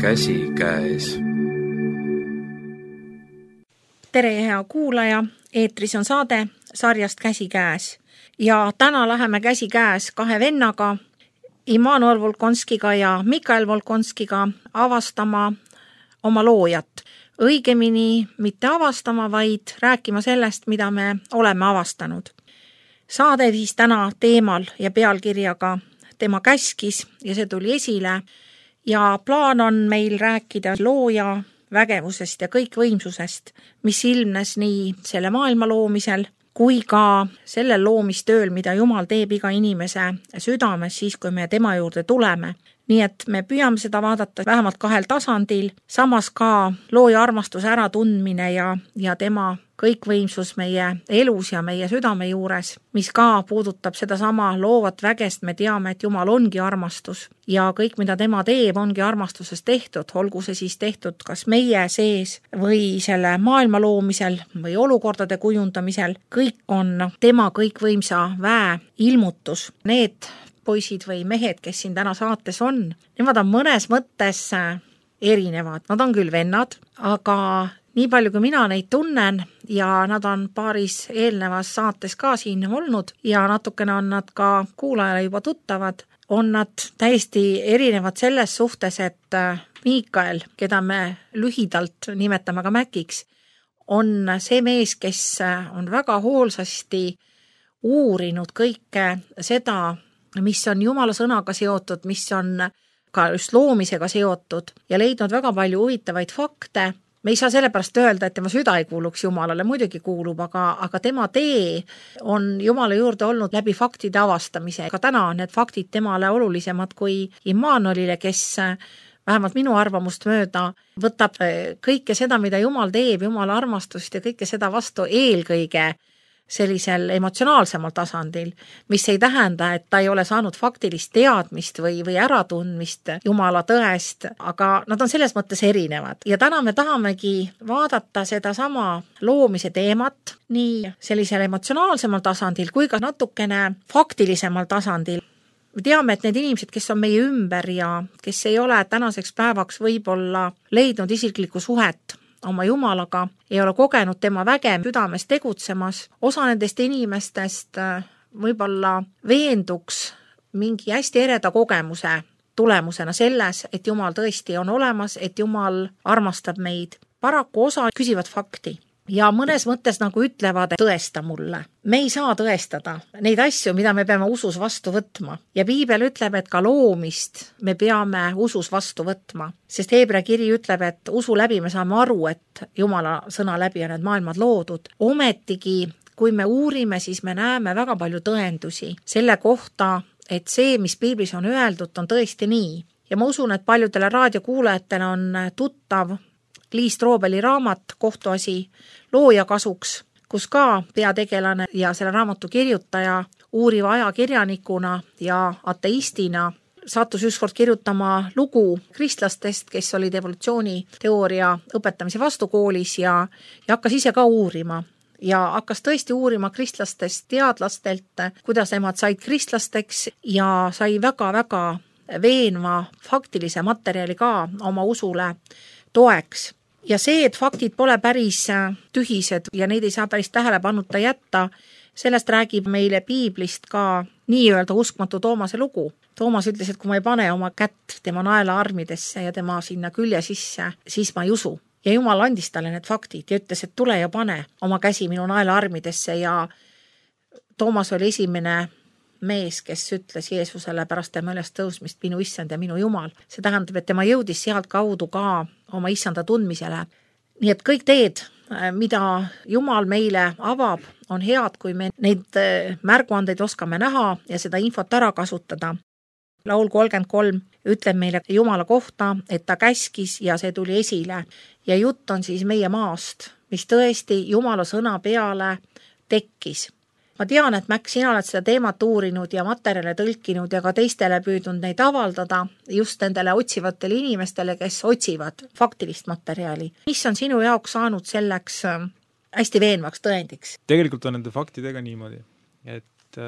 käsikäes. Tere, hea kuulaja! Eetris on saade sarjast Käsikäes. Ja täna läheme käsikäes kahe vennaga, Immanuel Volkonskiga ja Mikael Volkonskiga avastama oma loojat. Õigemini mitte avastama, vaid rääkima sellest, mida me oleme avastanud. Saade siis täna teemal ja pealkirjaga Tema käskis ja see tuli esile. Ja plaan on meil rääkida looja vägevusest ja kõikvõimsusest, mis ilmnes nii selle maailma loomisel kui ka sellel loomistööl, mida Jumal teeb iga inimese südames siis, kui me tema juurde tuleme. Nii et me püüame seda vaadata vähemalt kahel tasandil, samas ka looja armastuse äratundmine ja tema kõikvõimsus meie elus ja meie südame juures, mis ka puudutab sedasama loovat vägest. Me teame, et Jumal ongi armastus ja kõik, mida tema teeb, ongi armastuses tehtud, olgu see siis tehtud kas meie sees või selle maailma loomisel või olukordade kujundamisel. Kõik on tema kõikvõimsa väe ilmutus. Need poisid või mehed, kes siin täna saates on, nemad on mõnes mõttes erinevad. Nad on küll vennad, aga nii palju, kui mina neid tunnen ja nad on paaris eelnevas saates ka siin olnud ja natukene on nad ka kuulajale juba tuttavad, on nad täiesti erinevad selles suhtes, et Mikael, keda me lühidalt nimetame ka Mäkiks, on see mees, kes on väga hoolsasti uurinud kõike seda, mis on Jumala sõnaga seotud, mis on ka just loomisega seotud ja leidnud väga palju huvitavaid fakte. Me ei saa sellepärast öelda, et tema süda ei kuuluks Jumalale, muidugi kuulub, aga tema tee on Jumala juurde olnud läbi faktide avastamise. Ka täna on need faktid temale olulisemad kui Immanuelile, kes vähemalt minu arvamust mööda võtab kõike seda, mida Jumal teeb, Jumala armastust ja kõike seda vastu eelkõige sellisel emotsionaalsemal tasandil, mis ei tähenda, et ta ei ole saanud faktilist teadmist või äratundmist Jumala tõest, aga nad on selles mõttes erinevad. Ja täna me tahamegi vaadata sedasama loomise teemat nii sellisel emotsionaalsemal tasandil kui ka natukene faktilisemal tasandil. Me teame, et need inimesed, kes on meie ümber ja kes ei ole tänaseks päevaks võib-olla leidnud isiklikku suhet oma Jumalaga, ei ole kogenud tema väge südames tegutsemas. Osa nendest inimestest võib-olla veenduks mingi hästi ereda kogemuse tulemusena selles, et Jumal tõesti on olemas, et Jumal armastab meid. Paraku osa küsivad fakti ja mõnes mõttes nagu ütlevad, et tõesta mulle. Me ei saa tõestada neid asju, mida me peame usus vastu võtma. Ja Piibel ütleb, et ka loomist me peame usus vastu võtma. Sest Heebrea kiri ütleb, et usu läbi me saame aru, et Jumala sõna läbi on need maailmad loodud. Ometigi, kui me uurime, siis me näeme väga palju tõendusi selle kohta, et see, mis Piiblis on öeldud, on tõesti nii. Ja ma usun, et paljudele raadiokuulajatele on tuttav Liis Troobeli raamat Kohtuasi looja kasuks, kus ka peategelane ja selle raamatu kirjutaja uuriva ajakirjanikuna ja ateistina sattus ükskord kirjutama lugu kristlastest, kes olid evolutsiooniteooria õpetamise vastukoolis ja hakkas ise ka uurima. Ja hakkas tõesti uurima kristlastest teadlastelt, kuidas nemad said kristlasteks ja sai väga-väga veenva faktilise materjali ka oma usule toeks. Ja see, et faktid pole päris tühised ja neid ei saa päris tähelepanuta jätta, sellest räägib meile Piiblist ka nii-öelda uskmatu Toomase lugu. Toomas ütles, et kui ma ei pane oma kätt tema naela armidesse ja tema sinna külje sisse, siis ma ei usu. Ja Jumal andis talle need faktid ja ütles, et tule ja pane oma käsi minu naela armidesse ja Toomas oli esimene mees, kes ütles Jeesusele pärast tema üles tõusmist minu issand ja minu Jumal. See tähendab, et tema jõudis sealt kaudu ka oma issanda tundmisele. Nii et kõik teed, mida Jumal meile avab, on head, kui me neid märguandeid oskame näha ja seda infot ära kasutada. Laul 33 ütleb meile Jumala kohta, et ta käskis ja see tuli esile. Ja jutt on siis meie maast, mis tõesti Jumala sõna peale tekkis. Ma tean, et Mäkk, sina oled seda teemat uurinud ja materjale tõlkinud ja ka teistele püüdnud neid avaldada just nendele otsivatele inimestele, kes otsivad faktilist materjali. Mis on sinu jaoks saanud selleks hästi veenvaks tõendiks? Tegelikult on nende faktidega niimoodi, et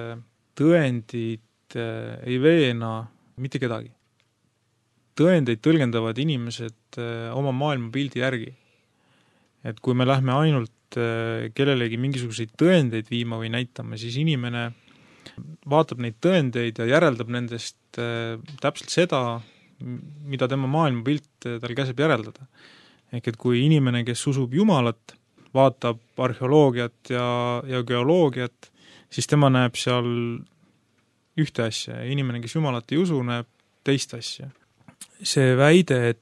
tõendid ei veena mitte kedagi. tõendeid tõlgendavad inimesed oma maailmapildi järgi. Et kui me lähme ainult kellelegi mingisuguseid tõendeid viima või näitama, siis inimene vaatab neid tõendeid ja järeldab nendest täpselt seda, mida tema maailmapilt tal käsib järeldada. Ehk et kui inimene, kes usub Jumalat, vaatab arheoloogiat ja geoloogiat, siis tema näeb seal ühte asja ja inimene, kes Jumalat ei usu, näeb teist asja. See väide,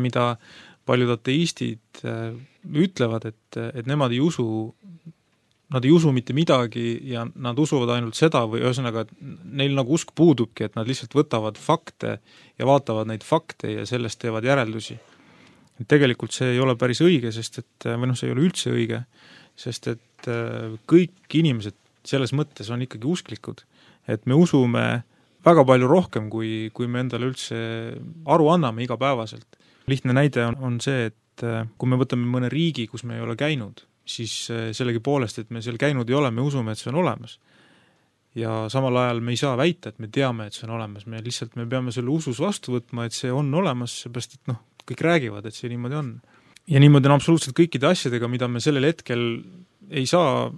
mida paljud ateistid ütlevad, et nemad ei usu mitte midagi ja nad usuvad ainult seda või ühesõnaga, et neil nagu usk puudubki, et nad lihtsalt võtavad fakte ja vaatavad neid fakte ja sellest teevad järeldusi. Et tegelikult see ei ole päris õige, see ei ole üldse õige, sest et kõik inimesed selles mõttes on ikkagi usklikud, et me usume väga palju rohkem, kui me endale üldse aru anname igapäevaselt. Lihtne näide on see, et kui me võtame mõne riigi, kus me ei ole käinud, siis sellegi poolest, et me seal käinud ei ole, me usume, et see on olemas. Ja samal ajal me ei saa väita, et me teame, et see on olemas, me peame selle usus vastu võtma, et see on olemas, seepärast et kõik räägivad, et see niimoodi on. Ja niimoodi on absoluutselt kõikide asjadega, mida me sellel hetkel ei saa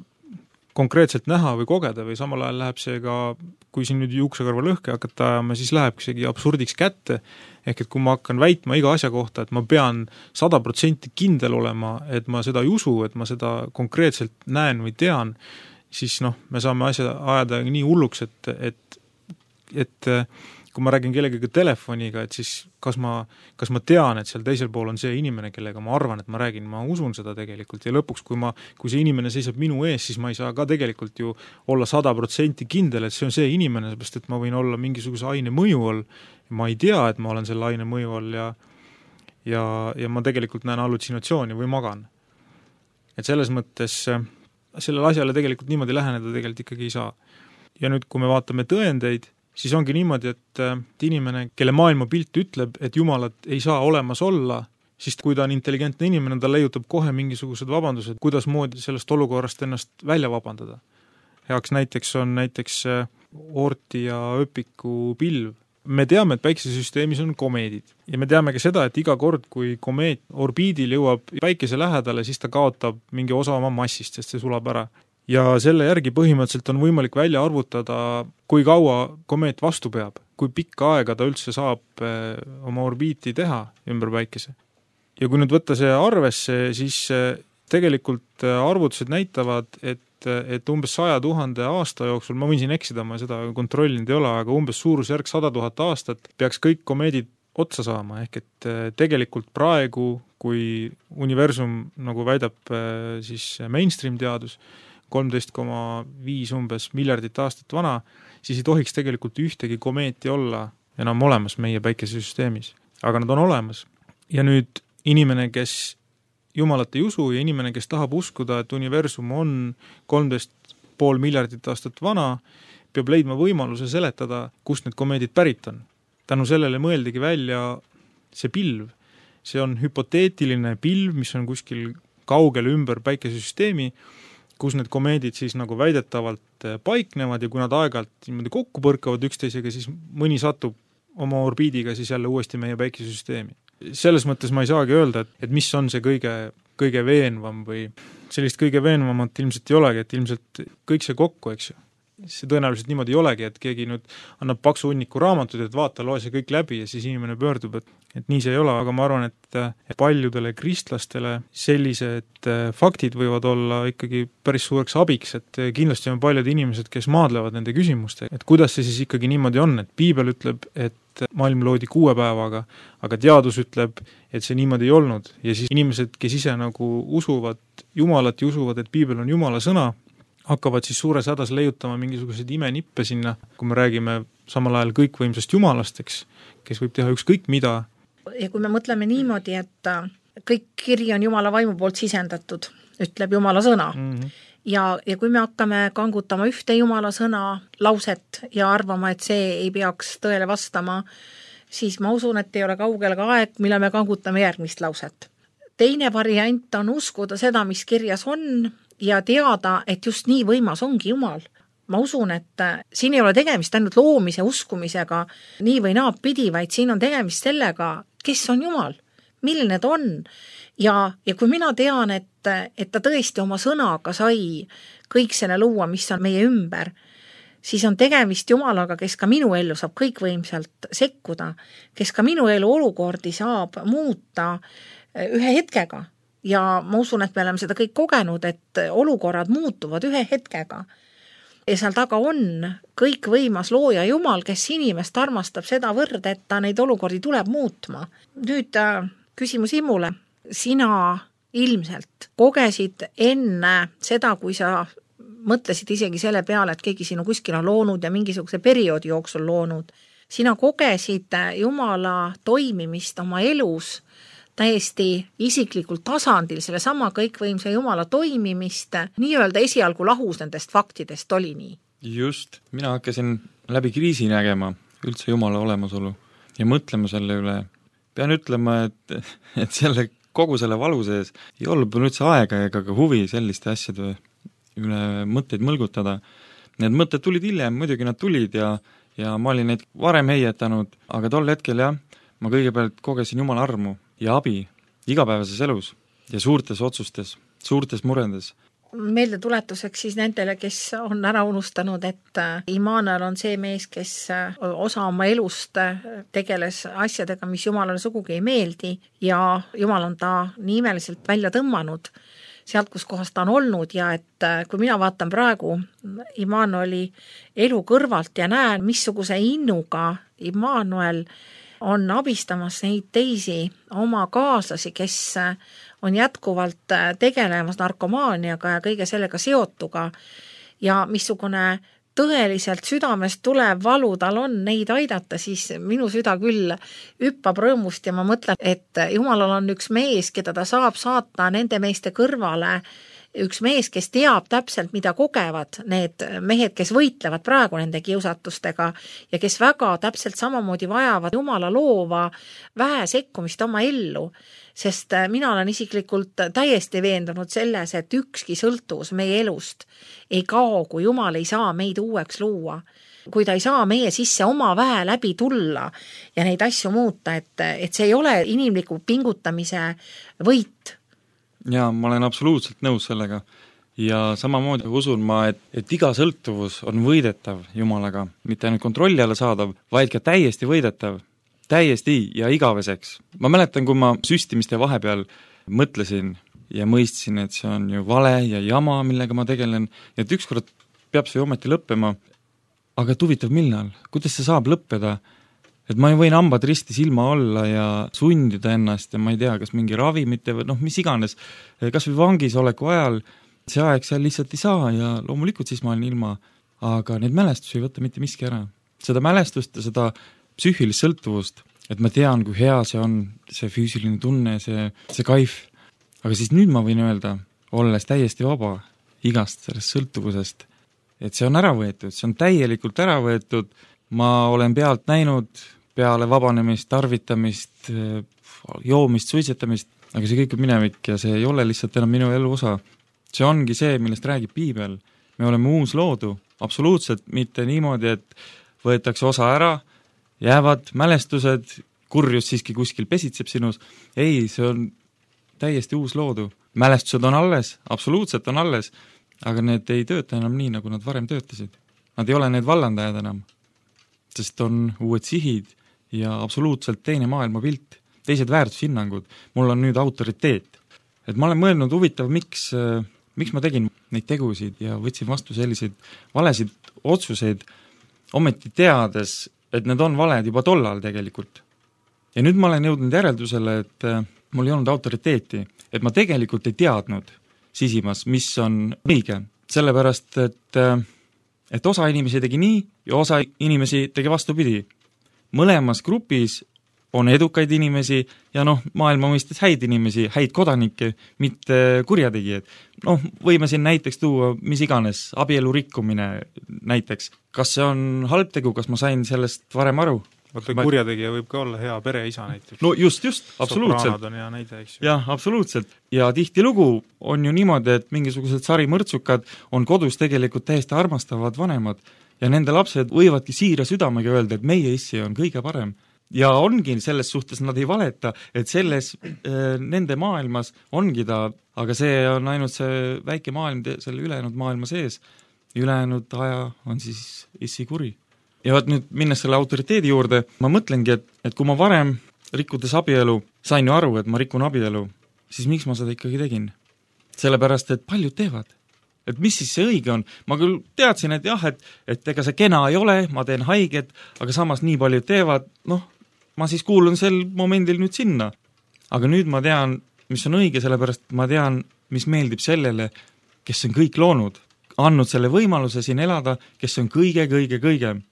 konkreetselt näha või kogeda või samal ajal läheb see ka, kui siin nüüd juuksekarva lõhke hakata ajama, siis läheb isegi absurdiks kätte, ehk et kui ma hakkan väitma iga asja kohta, et ma pean 100% kindel olema, et ma seda ei usu, et ma seda konkreetselt näen või tean, siis me saame asja ajada nii hulluks, et kui ma räägin kellegagi telefoniga, et siis kas ma tean, et seal teisel pool on see inimene, kellega ma arvan, et ma räägin, ma usun seda tegelikult ja lõpuks, kui see inimene seisab minu ees, siis ma ei saa ka tegelikult ju olla 100% kindel, et see on see inimene, seepärast et ma võin olla mingisuguse aine mõju all, ma ei tea, et ma olen selle aine mõju all ja ma tegelikult näen hallutsinatsiooni või magan. Et selles mõttes sellele asjale tegelikult niimoodi läheneda tegelikult ikkagi ei saa. Ja nüüd, kui me vaatame tõendeid, siis ongi niimoodi, et inimene, kelle maailmapilt ütleb, et Jumalat ei saa olemas olla, siis kui ta on intelligentne inimene, ta leiutab kohe mingisugused vabandused, kuidas moodi sellest olukorrast ennast välja vabandada. Heaks näiteks on Oorti ja Öpiku pilv. Me teame, et päikesesüsteemis on komeedid ja me teame ka seda, et iga kord, kui komeet orbiidil jõuab päikese lähedale, siis ta kaotab mingi osa oma massist, sest see sulab ära. Ja selle järgi põhimõtteliselt on võimalik välja arvutada, kui kaua komeet vastu peab, kui pikka aega ta üldse saab oma orbiiti teha ümber päikese. Ja kui nüüd võtta see arvesse, siis tegelikult arvutused näitavad, et umbes 100 000 aasta jooksul, ma võin siin eksida, ma seda kontrollinud ei ole, aga umbes suurusjärk 100 000 aastat peaks kõik komeedid otsa saama, ehk et tegelikult praegu, kui universum, nagu väidab siis mainstream teadus, 13,5 umbes miljardit aastat vana, siis ei tohiks tegelikult ühtegi komeeti olla enam olemas meie päikesesüsteemis. Aga nad on olemas. Ja nüüd inimene, kes Jumalat ei usu ja inimene, kes tahab uskuda, et universum on 13,5 miljardit aastat vana, peab leidma võimaluse seletada, kust need komeedid pärit on. Tänu sellele mõeldigi välja see pilv. See on hüpoteetiline pilv, mis on kuskil kaugel ümber päikesesüsteemi, kus need komeedid siis nagu väidetavalt paiknevad ja kui nad aeg-ajalt niimoodi kokku põrkavad üksteisega, siis mõni satub oma orbiidiga siis jälle uuesti meie päikesesüsteemi. Selles mõttes ma ei saagi öelda, et mis on see kõige veenvam või sellist kõige veenvamat ilmselt ei olegi, et ilmselt kõik see kokku, eks ju. See tõenäoliselt niimoodi ei olegi, et keegi nüüd annab paksu hunniku raamatud, et vaata, loe see kõik läbi ja siis inimene pöördub, et nii see ei ole, aga ma arvan, et paljudele kristlastele sellised faktid võivad olla ikkagi päris suureks abiks, et kindlasti on paljud inimesed, kes maadlevad nende küsimuste, et kuidas see siis ikkagi niimoodi on, et piibel ütleb, et maailm loodi 6 päevaga, aga teadus ütleb, et see niimoodi ei olnud ja siis inimesed, kes ise nagu usuvad Jumalat ja usuvad, et piibel on Jumala sõna, hakkavad siis suures hädas leiutama mingisuguseid imenippe sinna, kui me räägime samal ajal kõikvõimsast Jumalast, eks, kes võib teha ükskõik mida. Ja kui me mõtleme niimoodi, et kõik kiri on Jumala vaimu poolt sisendatud, ütleb Jumala sõna. Ja kui me hakkame kangutama ühte Jumala sõna lauset ja arvama, et see ei peaks tõele vastama, siis ma usun, et ei ole kaugel ka aeg, mille me kangutame järgmist lauset. Teine variant on uskuda seda, mis kirjas on, ja teada, et just nii võimas ongi Jumal. ma usun, et siin ei ole tegemist ainult loomise uskumisega nii või naapidi, vaid siin on tegemist sellega, kes on Jumal, milline ta on. Ja kui mina tean, et ta tõesti oma sõnaga sai kõik selle luua, mis on meie ümber, siis on tegemist Jumalaga, kes ka minu ellu saab kõikvõimsalt sekkuda, kes ka minu elu olukordi saab muuta ühe hetkega. Ja ma usun, et me oleme seda kõik kogenud, et olukorrad muutuvad ühe hetkega. Ja seal taga on kõikvõimas looja Jumal, kes inimest armastab seda võrd, et ta neid olukordi tuleb muutma. Nüüd küsimus Imule. Sina ilmselt kogesid enne seda, kui sa mõtlesid isegi selle peale, et keegi sinu kuskil on loonud ja mingisuguse perioodi jooksul loonud. Sina kogesid Jumala toimimist oma elus täiesti isiklikul tasandil, selle sama kõikvõimsa Jumala toimimist, nii-öelda esialgu lahus nendest faktidest oli nii. Just, mina hakkasin läbi kriisi nägema üldse Jumala olemasolu ja mõtlema selle üle. Pean ütlema, et kogu selle valu sees ei olnud üldse aega ega ka huvi selliste asjade üle mõtteid mõlgutada. Need mõtted tulid hiljem, muidugi nad tulid ja ma olin neid varem heietanud, aga tol hetkel ma kõigepealt kogesin Jumala armu ja abi igapäevases elus ja suurtes otsustes, suurtes muredes. Meelde tuletuseks siis nendele, kes on ära unustanud, et Immanuel on see mees, kes osa oma elust tegeles asjadega, mis Jumalale sugugi ei meeldi ja Jumal on ta nii imeliselt välja tõmmanud sealt, kus kohas ta on olnud ja et kui mina vaatan praegu Immanueli elu kõrvalt ja näen, missuguse innuga Immanuel on abistamas neid teisi oma kaaslasi, kes on jätkuvalt tegelemas narkomaaniaga ja kõige sellega seotuga ja missugune tõeliselt südamest tulev valu tal on neid aidata, siis minu süda küll hüppab rõõmust ja ma mõtlen, et Jumalal on üks mees, keda ta saab saata nende meeste kõrvale, üks mees, kes teab täpselt, mida kogevad need mehed, kes võitlevad praegu nende kiusatustega ja kes väga täpselt samamoodi vajavad Jumala loova vähe sekkumist oma ellu, sest mina olen isiklikult täiesti veendunud selles, et ükski sõltuvus meie elust ei kao, kui Jumal ei saa meid uueks luua. Kui ta ei saa meie sisse oma väe läbi tulla ja neid asju muuta, et see ei ole inimliku pingutamise võit. Jaa, ma olen absoluutselt nõus sellega ja samamoodi usun ma, et iga sõltuvus on võidetav Jumalaga, mitte ainult kontrolli alla saadav, vaid ka täiesti võidetav, täiesti ja igaveseks. Ma mäletan, kui ma süstimiste vahepeal mõtlesin ja mõistsin, et see on ju vale ja jama, millega ma tegelen, et ükskord peab see ometi lõppema, aga huvitav millal, kuidas see saab lõppeda? Et ma võin hambad risti silma olla ja sundida ennast ja ma ei tea, kas mingi ravimite või mis iganes, kas või vangis oleku ajal, see aeg seal lihtsalt ei saa ja loomulikult siis ma olen ilma, aga neid mälestusi ei võtta mitte miski ära. Seda mälestust ja seda psüühilist sõltuvust, et ma tean, kui hea see on, see füüsiline tunne, see kaif, aga siis nüüd ma võin öelda, olles täiesti vaba igast sellest sõltuvusest, et see on ära võetud, see on täielikult ära võetud, ma olen pealt näinud peale vabanemist, tarvitamist, joomist, suitsetamist, aga see kõik on minevik ja see ei ole lihtsalt enam minu elu osa. See ongi see, millest räägib Piibel. Me oleme uus loodu, absoluutselt mitte niimoodi, et võetakse osa ära, jäävad mälestused, kurjus siiski kuskil pesitseb sinus. Ei, see on täiesti uus loodu. Mälestused on alles, absoluutselt on alles, aga need ei tööta enam nii, nagu nad varem töötasid. Nad ei ole need vallandajad enam, sest on uued sihid ja absoluutselt teine maailmapilt, teised väärtushinnangud. Mul on nüüd autoriteet. Et ma olen mõelnud huvitav, miks ma tegin neid tegusid ja võtsin vastu selliseid valesid otsuseid, ometi teades, et need on valed juba tollal tegelikult. Ja nüüd ma olen jõudnud järeldusele, et mul ei olnud autoriteeti, et ma tegelikult ei teadnud sisimas, mis on õige. Sellepärast, et osa inimesi tegi nii ja osa inimesi tegi vastupidi. Mõlemas grupis on edukaid inimesi ja maailma mõistes häid inimesi, häid kodanikke, mitte kurjategijad. Võime siin näiteks tuua mis iganes, abielu rikkumine näiteks. Kas see on halb tegu, kas ma sain sellest varem aru? vaata, kurjategija võib ka olla hea pereisa näiteks. No just, absoluutselt. Sopranad on hea näide, eks ju. Jah, absoluutselt. Ja tihtilugu on ju niimoodi, et mingisugused sarimõrtsukad on kodus tegelikult täiesti armastavad vanemad ja nende lapsed võivadki siira südamega öelda, et meie issi on kõige parem. Ja ongi selles suhtes, nad ei valeta, et selles nende maailmas ongi ta, aga see on ainult see väike maailm selle ülejäänud maailma sees. Ülejäänud aja on siis issi kuri. Ja vaat nüüd minnes selle autoriteedi juurde, ma mõtlengi, et kui ma varem rikkudes abielu, sain ju aru, et ma rikun abielu, siis miks ma seda ikkagi tegin? Sellepärast, et paljud teevad. Et mis siis see õige on? Ma küll teadsin, et jah, et ega see kena ei ole, ma teen haiget, aga samas nii paljud teevad, ma siis kuulun sel momendil nüüd sinna. Aga nüüd ma tean, mis on õige, sellepärast ma tean, mis meeldib sellele, kes on kõik loonud. Andnud selle võimaluse siin elada, kes on kõige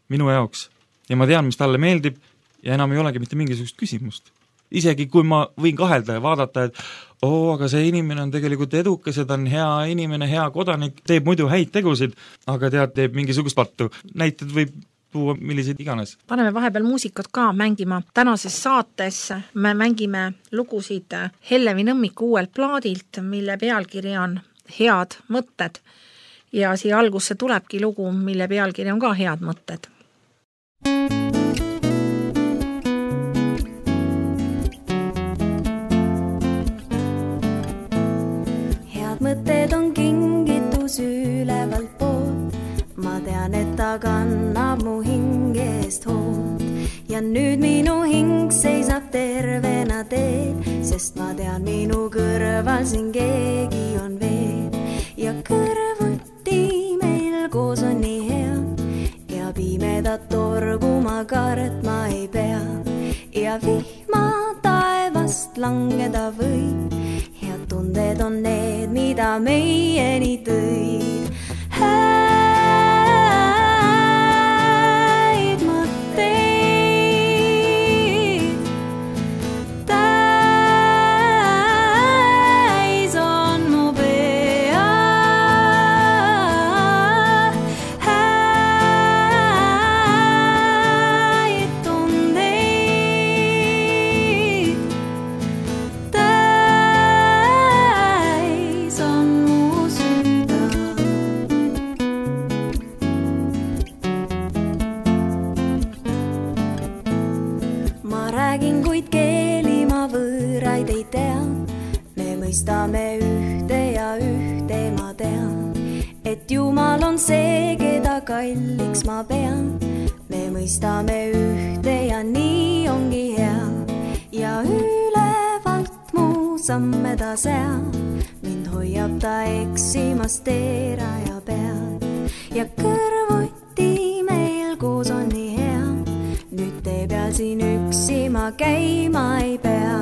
minu jaoks. Ja ma tean, mis talle meeldib ja enam ei olegi mitte mingisugust küsimust. Isegi kui ma võin kahelda ja vaadata, et aga see inimene on tegelikult edukas ja ta on hea inimene, hea kodanik, teeb muidu häid tegusid, aga teeb mingisugust pattu. Näited võib tuua milliseid iganes. Paneme vahepeal muusikat ka mängima. Tänases saates me mängime lugusid Hellevi Nõmmiku uuelt plaadilt, mille pealkiri on Head mõtted. Ja siia algusse tulebki lugu, mille pealkiri on ka Head mõtted. Head mõtted on kingitus ülevalt poolt. Ma tean, et ta kannab mu hingest hoolt. Ja nüüd minu hing seisab tervena teel, sest ma tean, minu kõrval siin keegi on veel. Ja kõrvuti meil koos on nii hea ja pimedat torgu ma kartma ei pea. Ja vihma taevast langeda võib, head tunded on need, mida meieni tõid. Häid mõtteid mõistame ühte ja ühte ma tean, et Jumal on see, keda kalliks ma pean. Me mõistame ühte ja nii ongi hea ja ülevalt mu samme ta seab. Mind hoiab ta eksimast teeraja peal ja kõrvuti meil koos on nii hea. Nüüd tee peal siin üksi ma käima ei pea.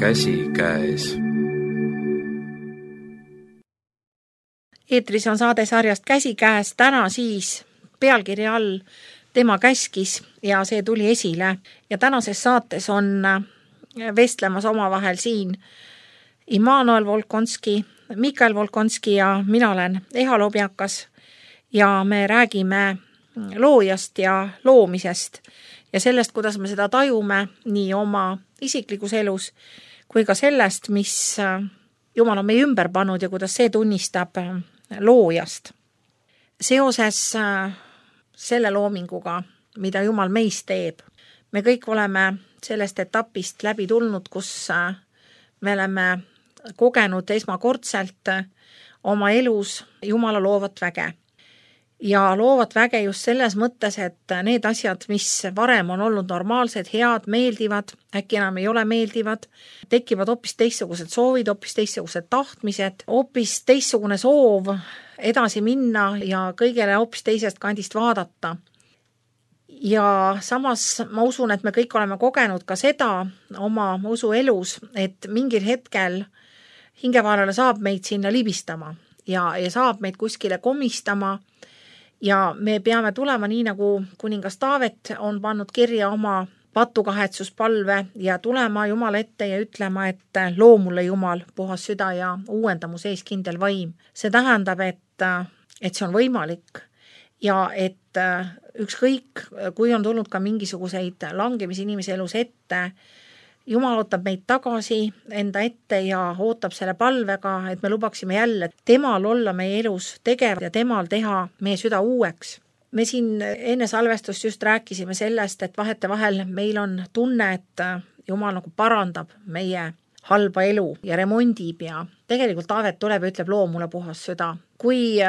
Käsikäes. Eetris on saade sarjast Käsikäes, täna siis pealkirja all Tema käskis ja see tuli esile. Ja tänases saates on vestlemas omavahel siin Immanuel Volkonski, Mikael Volkonski ja mina olen Eha Lobjakas ja me räägime loojast ja loomisest ja sellest, kuidas me seda tajume nii oma isiklikus elus kui ka sellest, mis Jumal on meie ümber pannud ja kuidas see tunnistab loojast. Seoses selle loominguga, mida Jumal meist teeb. Me kõik oleme sellest etapist läbi tulnud, kus me oleme kogenud esmakordselt oma elus Jumala loovat väge. Ja loovat väge just selles mõttes, et need asjad, mis varem on olnud normaalsed, head, meeldivad, äkki enam ei ole meeldivad, tekivad hoopis teistsugused soovid, hoopis teistsugused tahtmised, hoopis teistsugune soov edasi minna ja kõigele hoopis teisest kandist vaadata. Ja samas ma usun, et me kõik oleme kogenud ka seda oma usuelus, et mingil hetkel hingevaarale saab meid sinna libistama ja saab meid kuskile komistama ja me peame tulema nii, nagu kuningas Taavet on pannud kirja oma patukahetsuspalve ja tulema Jumala ette ja ütlema, et loo mulle Jumal puhas süda ja uuenda mu sees kindel vaim. See tähendab, et see on võimalik ja et ükskõik, kui on tulnud ka mingisuguseid langemisi inimese elus ette, Jumal ootab meid tagasi enda ette ja ootab selle palvega, et me lubaksime jälle temal olla meie elus tegev ja temal teha meie süda uueks. Me siin enne salvestust just rääkisime sellest, et vahetevahel meil on tunne, et Jumal nagu parandab meie halba elu ja remondib ja tegelikult Taavet tuleb ja ütleb, loo mulle puhas süda. Kui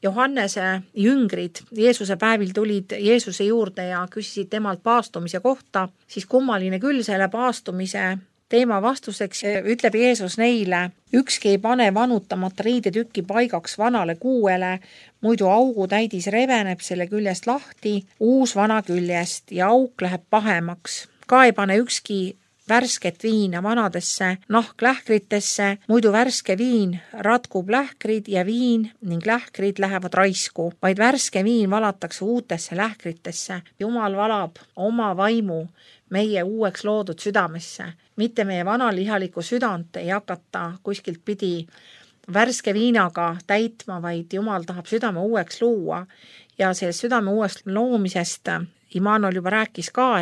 Johannese jüngrid Jeesuse päevil tulid Jeesuse juurde ja küsisid temalt paastumise kohta, siis kummaline küll selle paastumise teema vastuseks ütleb Jeesus neile, ükski ei pane vanutamata riidetükki paigaks vanale kuuele, muidu augu täidis reveneb selle küljest lahti, uus vana küljest ja auk läheb pahemaks. Ka ei pane ükski värsket viina vanadesse nahklähkritesse, muidu värske viin ratkub lähkrid ja viin ning lähkrid lähevad raisku, vaid värske viin valatakse uutesse lähkritesse. Jumal valab oma vaimu meie uueks loodud südamesse, mitte meie vanalihalikku südant ei hakata kuskilt pidi värske viinaga täitma, vaid Jumal tahab südame uueks luua ja sellest südame uueks loomisest Immanuel juba rääkis ka,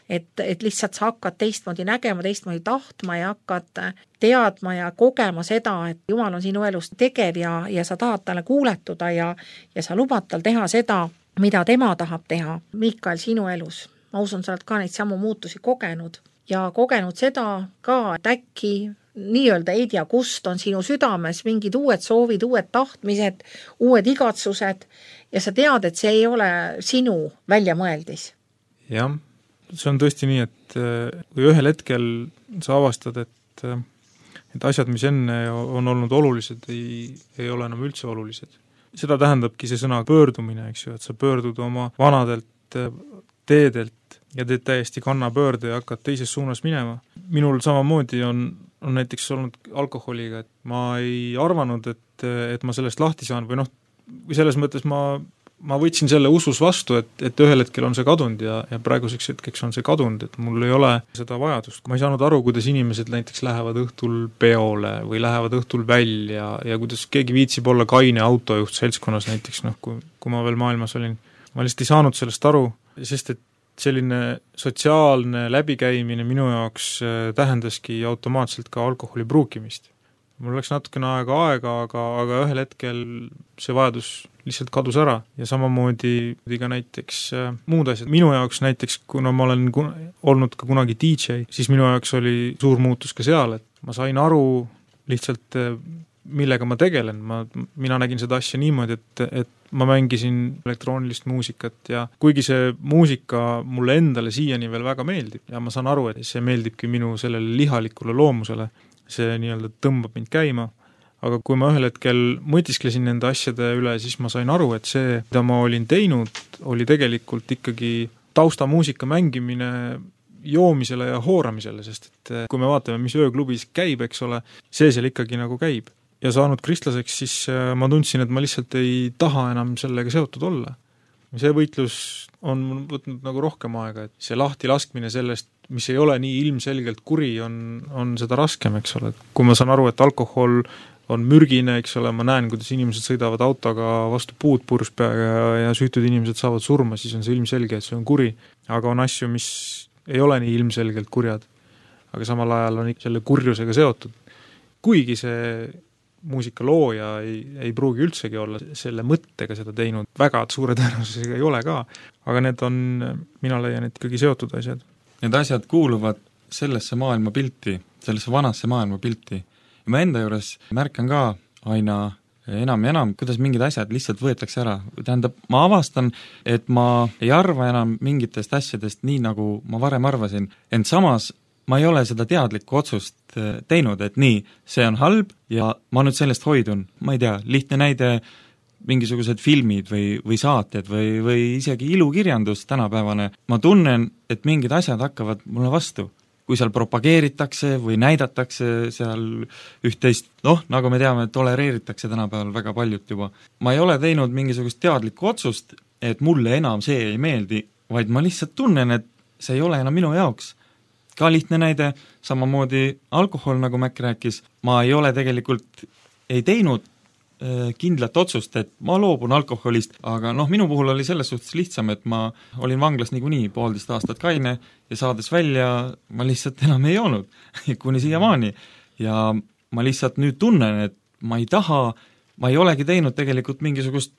et lihtsalt sa hakkad teistmoodi nägema, teistmoodi tahtma ja hakkad teadma ja kogema seda, et Jumal on sinu elus tegev ja sa tahad talle kuuletuda ja sa lubad tal teha seda, mida tema tahab teha. Mikael, sinu elus, ma usun, sa oled ka neid samu muutusi kogenud ja kogenud seda ka, et äkki nii-öelda ei tea, kust on sinu südames mingid uued soovid, uued tahtmised, uued igatsused ja sa tead, et see ei ole sinu väljamõeldis. Jah, see on tõesti nii, et kui ühel hetkel sa avastad, et asjad, mis enne on olnud olulised, ei ole enam üldse olulised. Seda tähendabki see sõna pöördumine, eks ju, et sa pöördud oma vanadelt teedelt ja teed täiesti kannapöörde ja hakkad teises suunas minema. Minul samamoodi on näiteks olnud alkoholiga, et ma ei arvanud, et ma sellest lahti saan või selles mõttes ma võtsin selle usus vastu, et ühel hetkel on see kadunud ja praeguseks hetkeks on see kadunud, et mul ei ole seda vajadust. Ma ei saanud aru, kuidas inimesed näiteks lähevad õhtul peole või lähevad õhtul välja ja kuidas keegi viitsib olla kaine autojuht seltskonnas näiteks, kui ma veel maailmas olin. Ma lihtsalt ei saanud sellest aru, sest et selline sotsiaalne läbikäimine minu jaoks tähendaski automaatselt ka alkoholi pruukimist. Mul läks natukene aega, aga ühel hetkel see vajadus lihtsalt kadus ära ja samamoodi ka näiteks muud asjad. Minu jaoks näiteks, kuna ma olen olnud ka kunagi DJ, siis minu jaoks oli suur muutus ka seal, et ma sain aru lihtsalt, millega ma tegelen. Mina nägin seda asja niimoodi, et ma mängisin elektroonilist muusikat ja kuigi see muusika mulle endale siiani veel väga meeldib ja ma saan aru, et see meeldibki minu sellele lihalikule loomusele, see nii-öelda tõmbab mind käima, aga kui ma ühel hetkel mõtisklesin nende asjade üle, siis ma sain aru, et see, mida ma olin teinud, oli tegelikult ikkagi taustamuusika mängimine joomisele ja hooramisele, sest et kui me vaatame, mis ööklubis käib, eks ole, see seal ikkagi nagu käib. Ja saanud kristlaseks, siis ma tundsin, et ma lihtsalt ei taha enam sellega seotud olla. See võitlus on võtnud nagu rohkem aega, et see lahti laskmine sellest, mis ei ole nii ilmselgelt kuri, on seda raskem, eks ole. Kui ma saan aru, et alkohol on mürgine, eks ole, ma näen, kuidas inimesed sõidavad autoga vastu puud puruspeaga ja süütud inimesed saavad surma, siis on see ilmselge, et see on kuri. Aga on asju, mis ei ole nii ilmselgelt kurjad, aga samal ajal on ikka selle kurjusega seotud. Kuigi see muusika looja ei pruugi üldsegi olla selle mõttega seda teinud, väga suure tõenäosusega ei ole ka, aga need on, mina leian, et ikkagi seotud asjad. Need asjad kuuluvad sellesse maailmapilti, sellesse vanasse maailmapilti. Ja ma enda juures märkan ka aina enam ja enam, kuidas mingid asjad lihtsalt võetakse ära. Tähendab, ma avastan, et ma ei arva enam mingitest asjadest nii, nagu ma varem arvasin, ent samas ma ei ole seda teadlikku otsust teinud, et nii, see on halb ja ma nüüd sellest hoidun. Ma ei tea, lihtne näide, mingisugused filmid või saated või isegi ilukirjandus tänapäevane. Ma tunnen, et mingid asjad hakkavad mulle vastu. Kui seal propageeritakse või näidatakse seal üht-teist, nagu me teame, tolereeritakse tänapäeval väga paljut juba. Ma ei ole teinud mingisugust teadlikku otsust, et mulle enam see ei meeldi, vaid ma lihtsalt tunnen, et see ei ole enam minu jaoks. Ka lihtne näide, samamoodi alkohol, nagu Mäkk rääkis, ma ei ole tegelikult, ei teinud kindlat otsust, et ma loobun alkoholist, aga minu puhul oli selles suhtes lihtsam, et ma olin vanglas niikuinii 1,5 aastat kaine ja saades välja ma lihtsalt enam ei joonud, kuni siiamaani. Ja ma lihtsalt nüüd tunnen, et ma ei taha, ma ei olegi teinud tegelikult mingisugust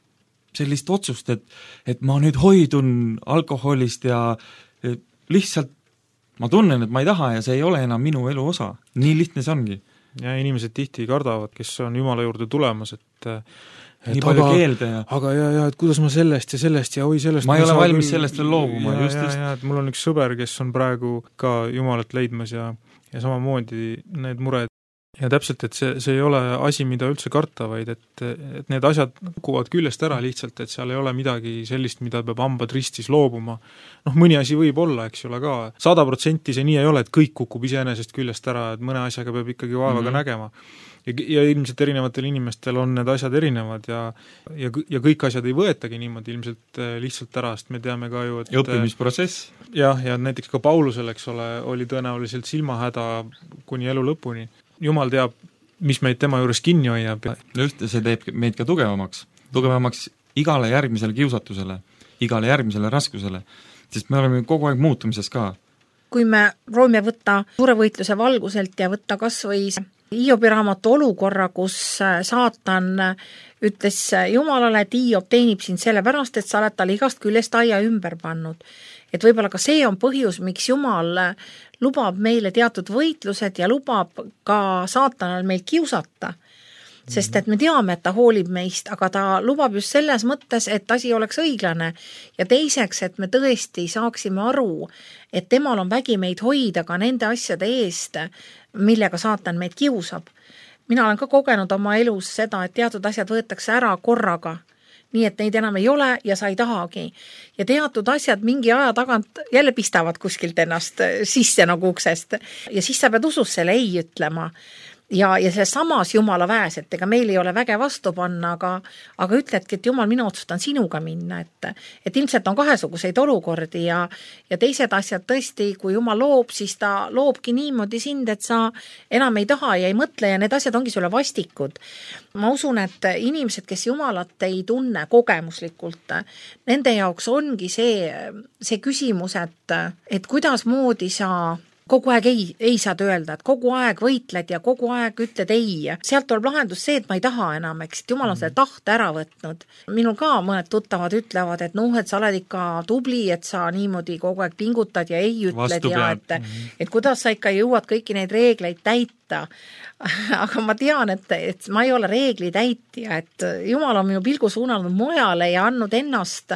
sellist otsust, et ma nüüd hoidun alkoholist ja lihtsalt ma tunnen, et ma ei taha ja see ei ole enam minu elu osa. Nii lihtne see ongi. Ja inimesed tihti kardavad, kes on Jumala juurde tulemas, et nii palju keelde ja aga et kuidas ma sellest ja oi sellest ma ei ole valmis sellest veel loobuma. Et mul on üks sõber, kes on praegu ka Jumalat leidmas ja samamoodi need mured. Ja täpselt, et see ei ole asi, mida üldse karta, vaid et need asjad kukuvad küljest ära lihtsalt, et seal ei ole midagi sellist, mida peab hambad ristis loobuma. Mõni asi võib olla, eks ole ka. 100% see nii ei ole, et kõik kukub iseenesest küljest ära, et mõne asjaga peab ikkagi vaevaga nägema. Ja ilmselt erinevatel inimestel on need asjad erinevad ja kõik asjad ei võetagi niimoodi ilmselt lihtsalt ära, sest me teame ka ju, et õppimisprotsess. Ja näiteks ka Paulusel, eks ole, oli tõenäoliselt silmahäda kuni elu lõpuni. Jumal teab, mis meid tema juures kinni hoiab. Just, see teeb meid ka tugevamaks igale järgmisele kiusatusele, igale järgmisele raskusele, sest me oleme kogu aeg muutumises ka. Kui me proovime võtta suure võitluse valguselt ja võtta kas või Hiobi raamatu olukorra, kus saatan ütles Jumalale, et Hiob teenib sind sellepärast, et sa oled talle igast küljest aia ümber pannud. Et võib-olla ka see on põhjus, miks Jumal lubab meile teatud võitlused ja lubab ka saatanal meil kiusata. Sest et me teame, et ta hoolib meist, aga ta lubab just selles mõttes, et asi oleks õiglane. Ja teiseks, et me tõesti saaksime aru, et temal on vägi meid hoida ka nende asjade eest, millega saatan meid kiusab. Mina olen ka kogenud oma elus seda, et teatud asjad võetakse ära korraga. Nii et neid enam ei ole ja sa ei tahagi. Ja teatud asjad mingi aja tagant jälle pistavad kuskilt ennast sisse nagu uksest. Ja siis sa pead usus selle ei ütlema. Ja see samas Jumala väes, et ega meil ei ole väge vastu panna, aga ütledki, et Jumal, mina otsustan sinuga minna, et ilmselt on kahesuguseid olukordi ja teised asjad tõesti, kui Jumal loob, siis ta loobki niimoodi sind, et sa enam ei taha ja ei mõtle ja need asjad ongi sulle vastikud. Ma usun, et inimesed, kes Jumalat ei tunne kogemuslikult, nende jaoks ongi see küsimus, et kuidas moodi sa kogu aeg ei saad öelda, et kogu aeg võitled ja kogu aeg ütled ei. Sealt tuleb lahendus see, et ma ei taha enam, eks, et Jumal on selle tahte ära võtnud. Minul ka mõned tuttavad ütlevad, et et sa oled ikka tubli, et sa niimoodi kogu aeg pingutad ja ei ütled ja et kuidas sa ikka jõuad kõiki neid reegleid täita. Aga ma tean, et ma ei ole reegli täitja, et Jumal on minu pilgu suunanud mujale ja andnud ennast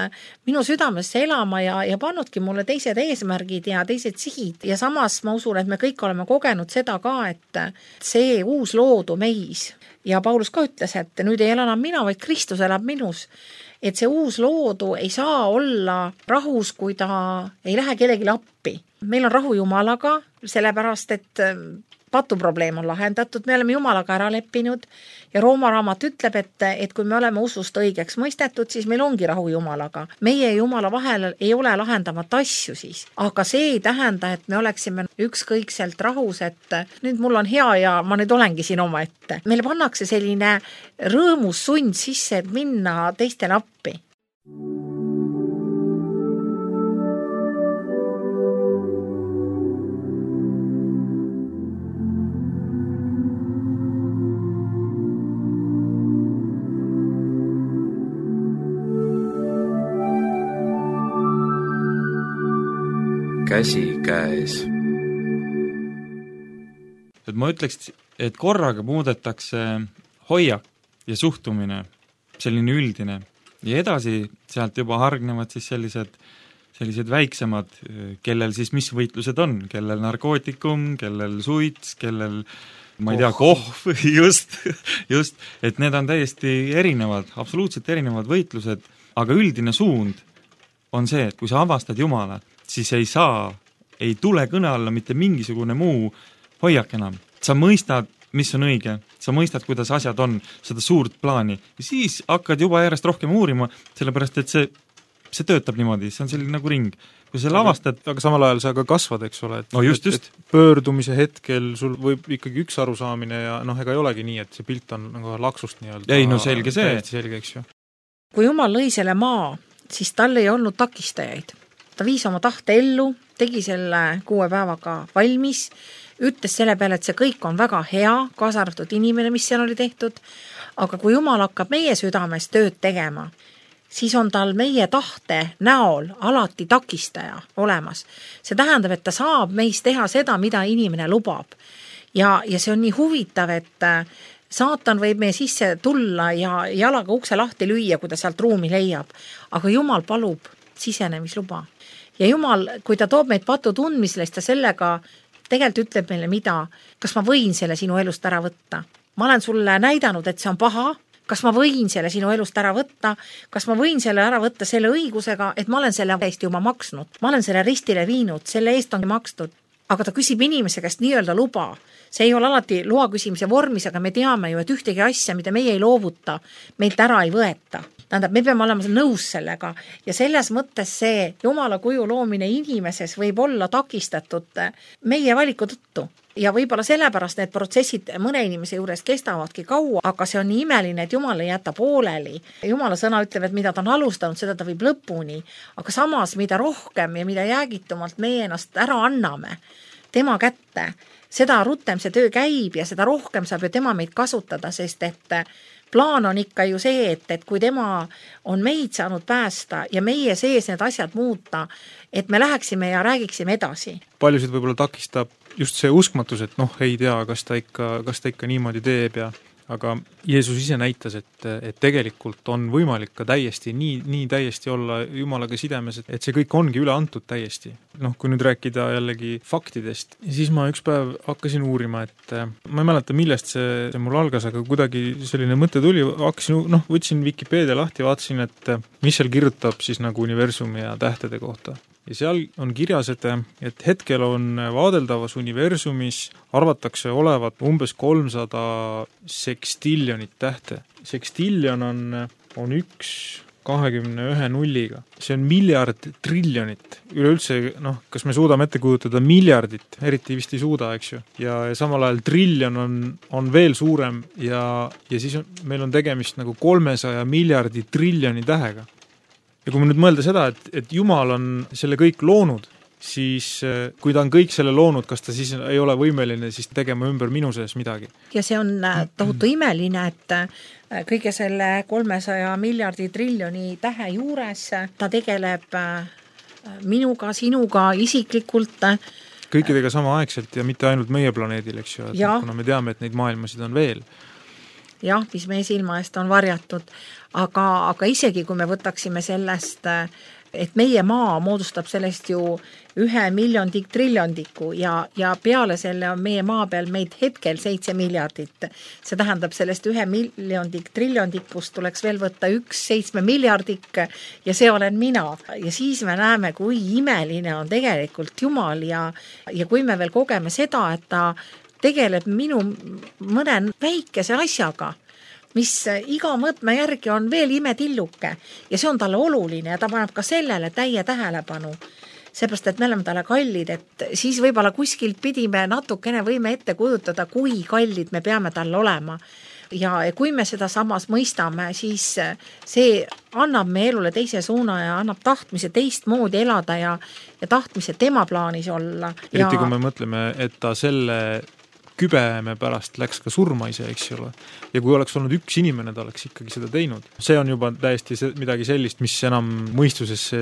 minu südamesse elama ja pannudki mulle teised eesmärgid ja teised sihid. Ja samas ma usun, et me kõik oleme kogenud seda ka, et see uus loodu meis. Ja Paulus ka ütles, et nüüd ei ela enam mina, vaid Kristus elab minus. Et see uus loodu ei saa olla rahus, kui ta ei lähe kellelegi appi. Meil on rahu Jumalaga, sellepärast, et patuprobleem on lahendatud, me oleme Jumalaga ära leppinud ja Rooma raamat ütleb, et kui me oleme usust õigeks mõistetud, siis meil ongi rahu Jumalaga. Meie ja Jumala vahel ei ole lahendamat asju siis, aga see ei tähenda, et me oleksime ükskõikselt rahus, et nüüd mul on hea ja ma nüüd olengi siin oma ette. Meile pannakse selline rõõmus sund sisse, et minna teistele appi. käsikäes. Et ma ütleks, et korraga muudetakse hoiak ja suhtumine, selline üldine, ja edasi sealt juba hargnevad siis sellised väiksemad, kellel siis mis võitlused on, kellel narkootikum, kellel suits, kellel ma ei tea, kohv, just, et need on täiesti erinevad, absoluutselt erinevad võitlused, aga üldine suund on see, et kui sa avastad Jumala, siis ei tule kõne alla mitte mingisugune muu hoiak enam. Sa mõistad, mis on õige, sa mõistad, kuidas asjad on, seda suurt plaani, ja siis hakkad juba järjest rohkem uurima, sellepärast et see töötab niimoodi, see on selline nagu ring. Kui sa lavastad... Aga samal ajal sa ka kasvad, eks ole, no just. Et pöördumise hetkel sul võib ikkagi üks arusaamine ja ega ei olegi nii, et see pilt on nagu laksust nii-öelda. Ei, no selge see. Selge, eks ju. Kui Jumal lõi selle maa, siis tal ei olnud takistajaid. Ta viis oma tahte ellu, tegi selle 6 päevaga valmis, ütles selle peale, et see kõik on väga hea, kaasa arvatud inimene, mis seal oli tehtud, aga kui Jumal hakkab meie südames tööd tegema, siis on tal meie tahte näol alati takistaja olemas. See tähendab, et ta saab meis teha seda, mida inimene lubab. Ja see on nii huvitav, et saatan võib meie sisse tulla ja jalaga ukse lahti lüüa, kui ta sealt ruumi leiab. Aga Jumal palub sisenemisluba. Ja Jumal, kui ta toob meid patu tundmisele, siis ta sellega tegelikult ütleb meile mida, kas ma võin selle sinu elust ära võtta. Ma olen sulle näidanud, et see on paha, kas ma võin selle sinu elust ära võtta, kas ma võin selle ära võtta selle õigusega, et ma olen selle eest juba maksnud. Ma olen selle ristile viinud, selle eest on makstud. Aga ta küsib inimese käest nii-öelda luba. See ei ole alati loa küsimise vormis, aga me teame ju, et ühtegi asja, mida meie ei loovuta, meilt ära ei võeta. Tähendab, me peame olema nõus sellega ja selles mõttes see Jumala kuju loomine inimeses võib olla takistatud meie valiku tõttu. Ja võib-olla sellepärast need protsessid mõne inimese juures kestavadki kaua, aga see on nii imeline, et Jumal ei jäta pooleli. Jumala sõna ütleb, et mida ta on alustanud, seda ta viib lõpuni. Aga samas, mida rohkem ja mida jäägitumalt meie ennast ära anname tema kätte, seda rutem see töö käib ja seda rohkem saab ju tema meid kasutada, sest et plaan on ikka ju see, et kui tema on meid saanud päästa ja meie sees need asjad muuta, et me läheksime ja räägiksime edasi. Paljusid võib-olla takistab just see uskmatus, et ei tea, kas ta ikka niimoodi teeb aga Jeesus ise näitas, et tegelikult on võimalik ka täiesti, nii täiesti olla Jumalaga sidemes, et see kõik ongi üle antud täiesti. Kui nüüd rääkida jällegi faktidest, siis ma üks päev hakkasin uurima, et ma ei mäleta, millest see mul algas, aga kuidagi selline mõte tuli, võtsin Wikipedia lahti, vaatasin, et mis seal kirjutab siis nagu universumi ja tähtede kohta. Ja seal on kirjas, et hetkel on vaadeldavas universumis arvatakse olevat umbes 300 sekstillionit tähte. Sekstillion on 21 nulliga. See on miljard triljonit. Üleüldse, kas me suudame ette kujutada miljardit, eriti vist ei suuda, eks ju. Ja samal ajal trillion on veel suurem ja siis meil on tegemist nagu 300 miljardi triljoni tähega. Ja kui me nüüd mõelda seda, et Jumal on selle kõik loonud, siis kui ta on kõik selle loonud, kas ta siis ei ole võimeline siis tegema ümber minu sees midagi? Ja see on tohutu imeline, et kõige selle 300 miljardi triljoni tähe juures ta tegeleb minuga, sinuga, isiklikult. Kõikidega samaaegselt ja mitte ainult meie planeedil, eks ju, kuna me teame, et neid maailmasid on veel. Jah, mis meie silma eest on varjatud, aga isegi kui me võtaksime sellest, et meie maa moodustab sellest ju 1 miljondik triljondiku ja peale selle on meie maa peal meid hetkel 7 miljardit. See tähendab, sellest 1 miljondik triljondikust tuleks veel võtta 1 7 miljardik ja see olen mina. Ja siis me näeme, kui imeline on tegelikult Jumal ja kui me veel kogeme seda, et ta tegeleb minu mõne väikese asjaga, mis iga mõõtme järgi on veel imetilluke ja see on talle oluline ja ta paneb ka sellele täie tähelepanu. Seepärast, et me oleme talle kallid, et siis võib-olla kuskilt pidime natukene võime ette kujutada, kui kallid me peame talle olema. Ja kui me seda samas mõistame, siis see annab me elule teise suuna ja annab tahtmise teistmoodi elada ja tahtmise tema plaanis olla. Eriti kui me mõtleme, et ta selle kübeme pärast läks ka surma ise, eks ole. Ja kui oleks olnud üks inimene, ta oleks ikkagi seda teinud. See on juba täiesti midagi sellist, mis enam mõistusesse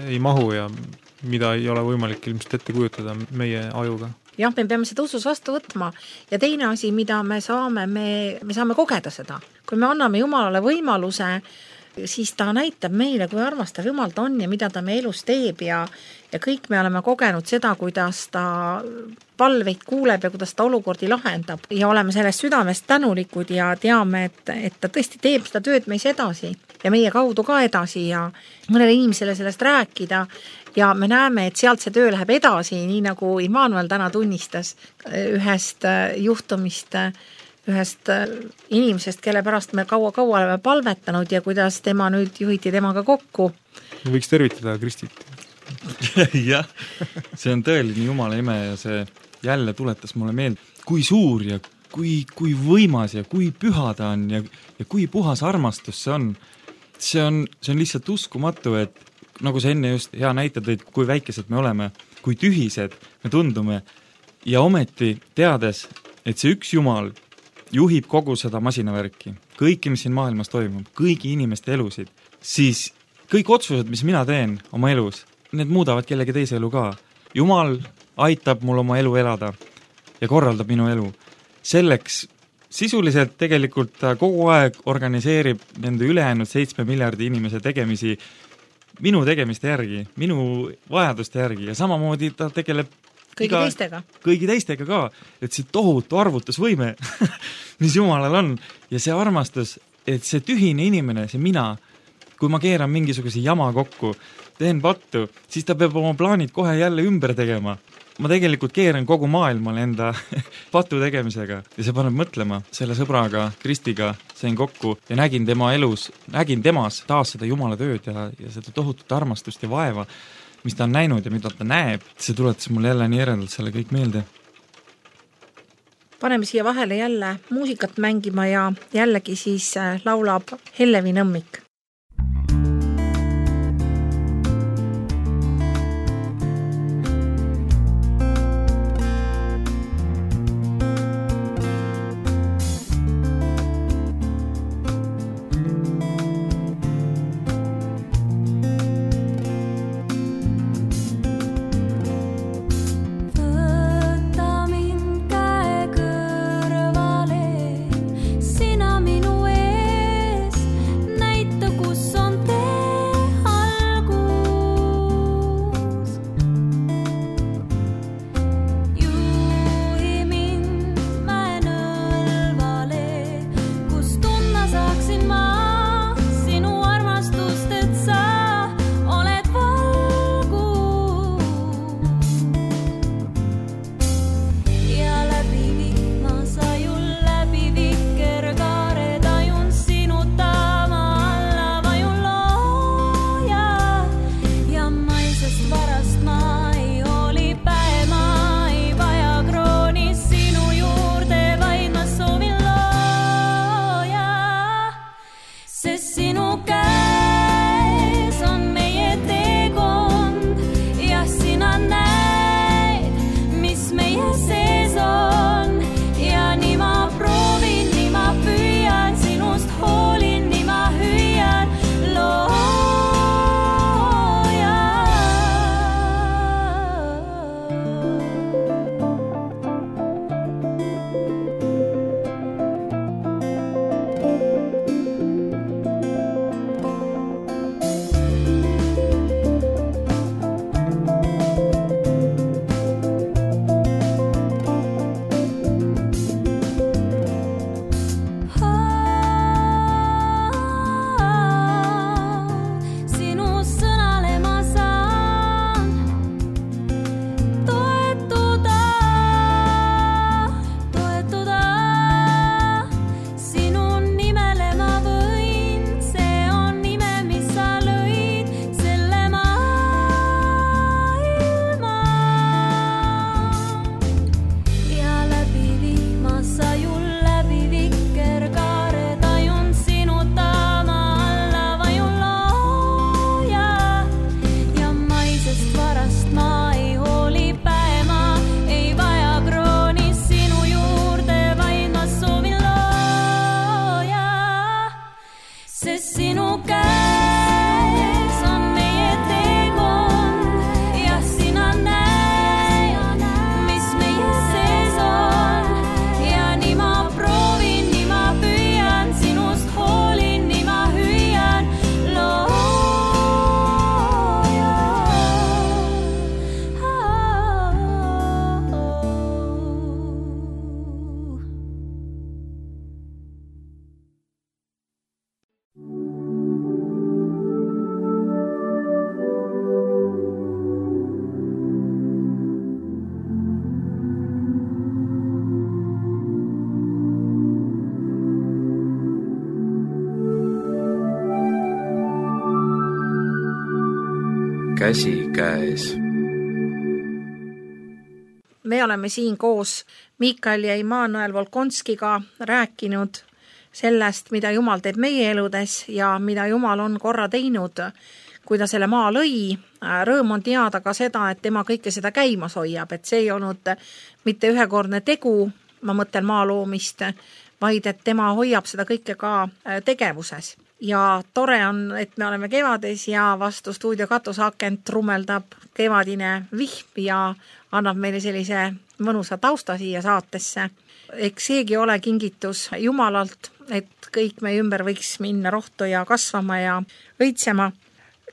ei mahu ja mida ei ole võimalik ilmselt ette kujutada meie ajuga. Jah, me peame seda usus vastu võtma ja teine asi, mida me saame kogeda seda. Kui me anname Jumalale võimaluse, siis ta näitab meile, kui armastav Jumal ta on ja mida ta me elus teeb ja kõik me oleme kogenud seda, kuidas ta palveid kuuleb ja kuidas ta olukordi lahendab ja oleme sellest südamest tänulikud ja teame, et ta tõesti teeb seda tööd meis edasi ja meie kaudu ka edasi ja mõnele inimesele sellest rääkida ja me näeme, et sealt see töö läheb edasi, nii nagu Immanuel täna tunnistas ühest juhtumist, ühest inimesest, kelle pärast me kaua oleme palvetanud ja kuidas tema nüüd juhiti temaga kokku. Võiks tervitada Kristit. Jah, see on tõeline Jumala ime ja see jälle tuletas mulle meelde, kui suur ja kui võimas ja kui püha ta on ja kui puhas armastus see on. See on lihtsalt uskumatu, et nagu sa enne just hea näitad, kui väikesed me oleme, kui tühised me tundume ja ometi teades, et see üks Jumal juhib kogu seda masinavärki, kõiki, mis siin maailmas toimub, kõigi inimeste elusid, siis kõik otsused, mis mina teen oma elus, need muudavad kellegi teise elu ka. Jumal aitab mul oma elu elada ja korraldab minu elu. Selleks sisuliselt tegelikult ta kogu aeg organiseerib nende ülejäänud 7 miljardi inimese tegemisi minu tegemiste järgi, minu vajaduste järgi ja samamoodi ta tegeleb kõigi teistega ka, et see tohutu arvutusvõime, mis Jumalal on ja see armastus, et see tühine inimene, see mina, kui ma keeran mingisuguse jama kokku, teen pattu, siis ta peab oma plaanid kohe jälle ümber tegema. Ma tegelikult keeran kogu maailmale enda patu tegemisega ja see paneb mõtlema selle sõbraga, Kristiga sain kokku ja nägin temas taas seda Jumala tööd ja seda tohutut armastust ja vaeva, mis ta on näinud ja mida ta näeb. See tuletas mulle jälle nii eredalt selle kõik meelde. Paneme siia vahele jälle muusikat mängima ja jällegi siis laulab Hellevi Nõmmik. Sina minu ees näita käsikäes. Me oleme siin koos Mikael ja Immanuel Volkonskiga rääkinud sellest, mida Jumal teeb meie eludes ja mida Jumal on korra teinud, kui ta selle maa lõi. Rõõm on teada ka seda, et tema kõike seda käimas hoiab, et see ei olnud mitte ühekordne tegu, ma mõtlen maa loomist, vaid et tema hoiab seda kõike ka tegevuses. Ja tore on, et me oleme kevades ja vastu stuudio katusakent trummeldab kevadine vihm ja annab meile sellise mõnusa tausta siia saatesse. Eks seegi ole kingitus Jumalalt, et kõik meie ümber võiks minna rohtu ja kasvama ja õitsema.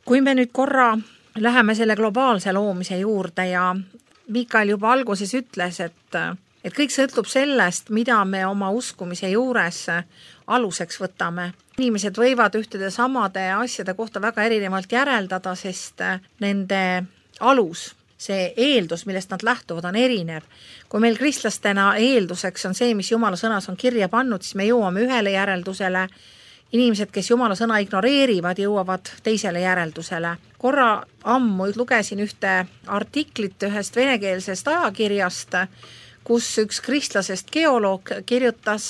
Kui me nüüd korra läheme selle globaalse loomise juurde ja Mikael juba alguses ütles, et kõik sõltub sellest, mida me oma uskumise juures aluseks võtame. Inimesed võivad ühtede samade asjade kohta väga erinevalt järeldada, sest nende alus, see eeldus, millest nad lähtuvad, on erinev. Kui meil kristlastena eelduseks on see, mis Jumala sõnas on kirja pannud, siis me jõuame ühele järeldusele. Inimesed, kes Jumala sõna ignoreerivad, jõuavad teisele järeldusele. Korra ammu lugesin ühte artiklit ühest venekeelsest ajakirjast, kus üks kristlasest geoloog kirjutas